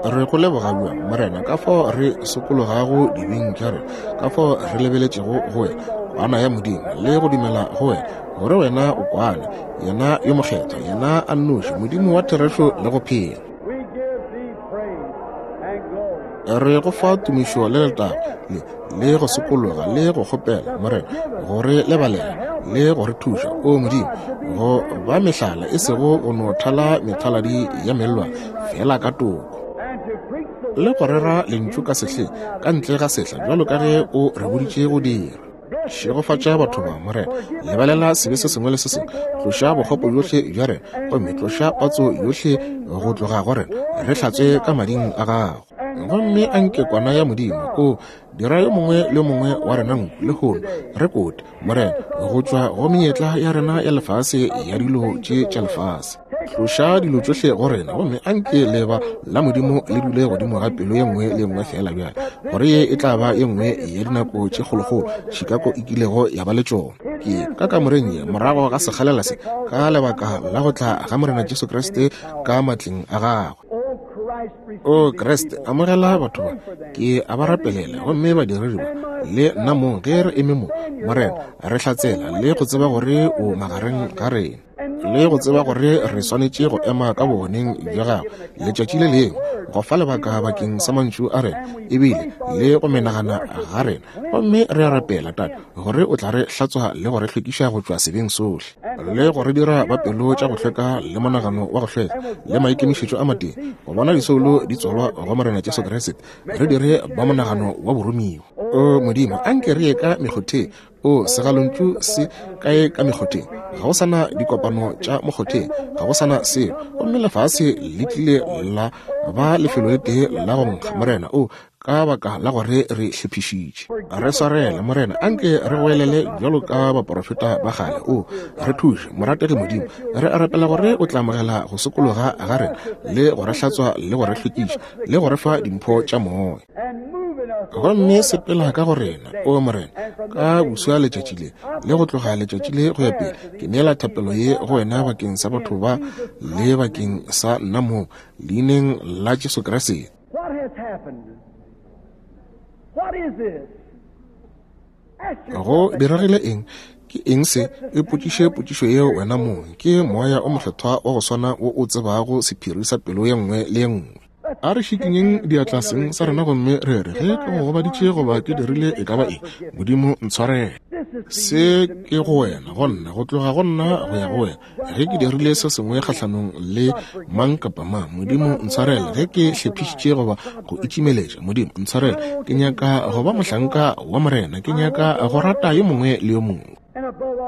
Re go leboga bjang, Morena, ka fao re sokologago dibeng tša rena, ka fao re lebeletšego go wena, Kwana ya Modimo, le go dumela go wena, gore wena o Kwana, yena yo mokgethwa, yena a nnoši, Modimo wa therešo le go phela. Re go fa tumišo le letago, le, le go sokologa le go kgopela, Morena, go re lebalela le go re thuša, o Modimo, go ba mehlala, e sego go no thala methaladi ya mellwa, fela ka toko, le go rera lentšu ka sehleng, ka ntle ga sehla, bjalo ka ge o re boditše go dira. Šegofatša batho ba, Morena. Lebalela sebe se sengwe le se sengwe. Tloša bokgopo bjohle bja rena, gomme tloša patso yohle go tloga go rena. Re hlatswe ka mading a gago. Gomme a nke Kwana ya Modimo, o dira yo mongwe le yo mongwe wa rena nku lehono, re kote, Morena, go tšwa go menyetla ya rena ya lefase ya dilo tše tša lefase. Tloša dilo tšohle go rena, gomme a nke leba la Modimo le dule godimo ga pelo ye nngwe le ye nngwe feela bjale, gore ye e tla ba ye nngwe ya dinako tše kgolokgolo Chicago e kilego ya ba le tšona. Ke ka kamoreng ye morago ga sekgalela se, ka lebaka la go tla ga Morena Jesu Kriste ka matleng a gagwe. O Kriste, amogela batho ba, ke a ba rapelela, gomme badiredi ba le nna mong ge re eme mo, Morena, re hlatsela le go tseba gore o magareng ga rena, le go tseba gore re swanetše go ema ka bogoneng bja gago letšatši le lengwe go fa lebaka bakeng sa mantšu a rena ebile le go menagana ga rena. Gomme re a rapela, Tate, gore o tla re hlatswa le go re hlwekiša go tšwa sebeng sohle, le go re dira ba pelo tša go hlweka le monagano wa go hlweka le maikemišetšo a matee, go bona disoulo di tswalwa go Morena Jesu Kriste, re dire ba monagano wa boromiwa. O Modimo, anke re ye ka mekgotheng. O segalontšu se kae ka mekgotheng? Ga go sa na dikopano tša mokgotheng, ga go sa na selo, gomme lefase le tlile la ba lefelo le tee la go nkga, Morena. O ka baka la gore re hlephišitše. Re swarele, Morena, anke re goelele bjalo ka baporofeta ba kgale. O re thuše, morategi Modimo. Re a rapela gore o tla amogela go sokologa ga rena, le go re hlatswa le go re hlwekiša, le go re fa dimpho tša Moya. Gomme sepela ka go rena, o Morena, ka boswa letšatši le, le go tloga letšatši le go ya pele. Ke neela thapelo ye go wena bakeng sa batho ba le bakeng sa nna mong, leineng la Jesu Kriste. What has happened? What is this? Go diregile eng? Ke eng se? Ipotšiše potšišo yeo wena mong. Ke Moya o Mokgethwa wa go swana wo o tsebago sephiri sa pelo ye nngwe le ye nngwe. A re šikinyeng diatla seng sa rena gomme re re, Ge ke go gobaditše goba ke dirile e ka ba eng, Modimo ntshwarele. Se ke go wena, go nna, go tloga go nna go ya go wena. Ge ke dirile se sengwe kgahlanong le mang kapa mang, Modimo ntshwarele. Ge ke hlephišitše goba go itšimeletša, Modimo ntshwarele. Ke nyaka go ba mohlanka wa Morena. Ke nyaka go rata yo mongwe le yo mongwe.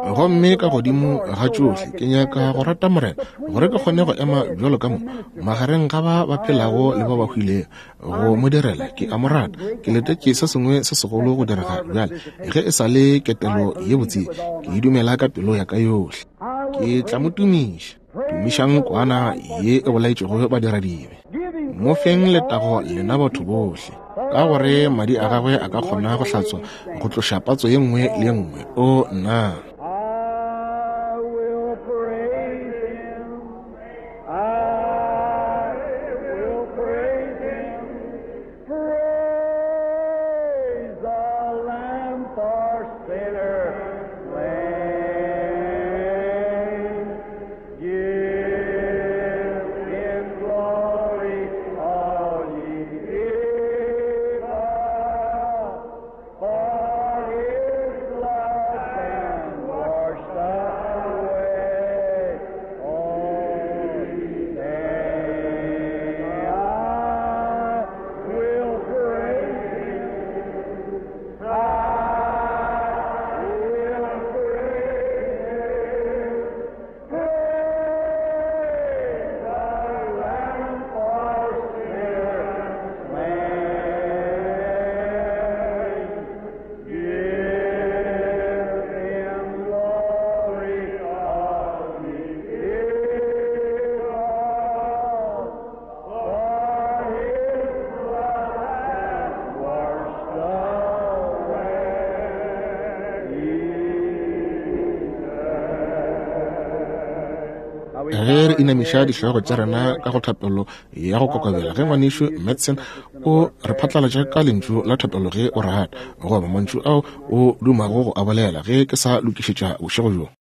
Gomme ka godimo ga tšohle, ke nyaka go rata Morena, gore ke kgone go ema bjalo ka mo magareng ga ba ba phelago le ba ba hwilego, go mo direla. Ke a mo rata. Ke letetše se sengwe se segolo go direga bjale. Ge e sa le ketelo ye botse, ke e dumela ka pelo ya ka yohle. Ke tla mo tumiša. Tumišang kwana ye e bolaetšego badiradibe. Mo feng letago lena batho bohle, ka gore madi a gagwe a ka kgona go hlatswa go tloša patso ye nngwe le ye nngwe. O nna. I will praise him. I will praise him. Praise the Lamb for sinners slain. Give him glory, all ye people, for his blood can Ge re inamiša dihlogo tša rena ka go thapelo ya go kokobela, ge Ngwanešu Madsen o re phatlalatša ka lentšu la thapelo ge o rata, goba mantšu ao o dumago go a bolela ge ke sa lokišetša bošego bjo.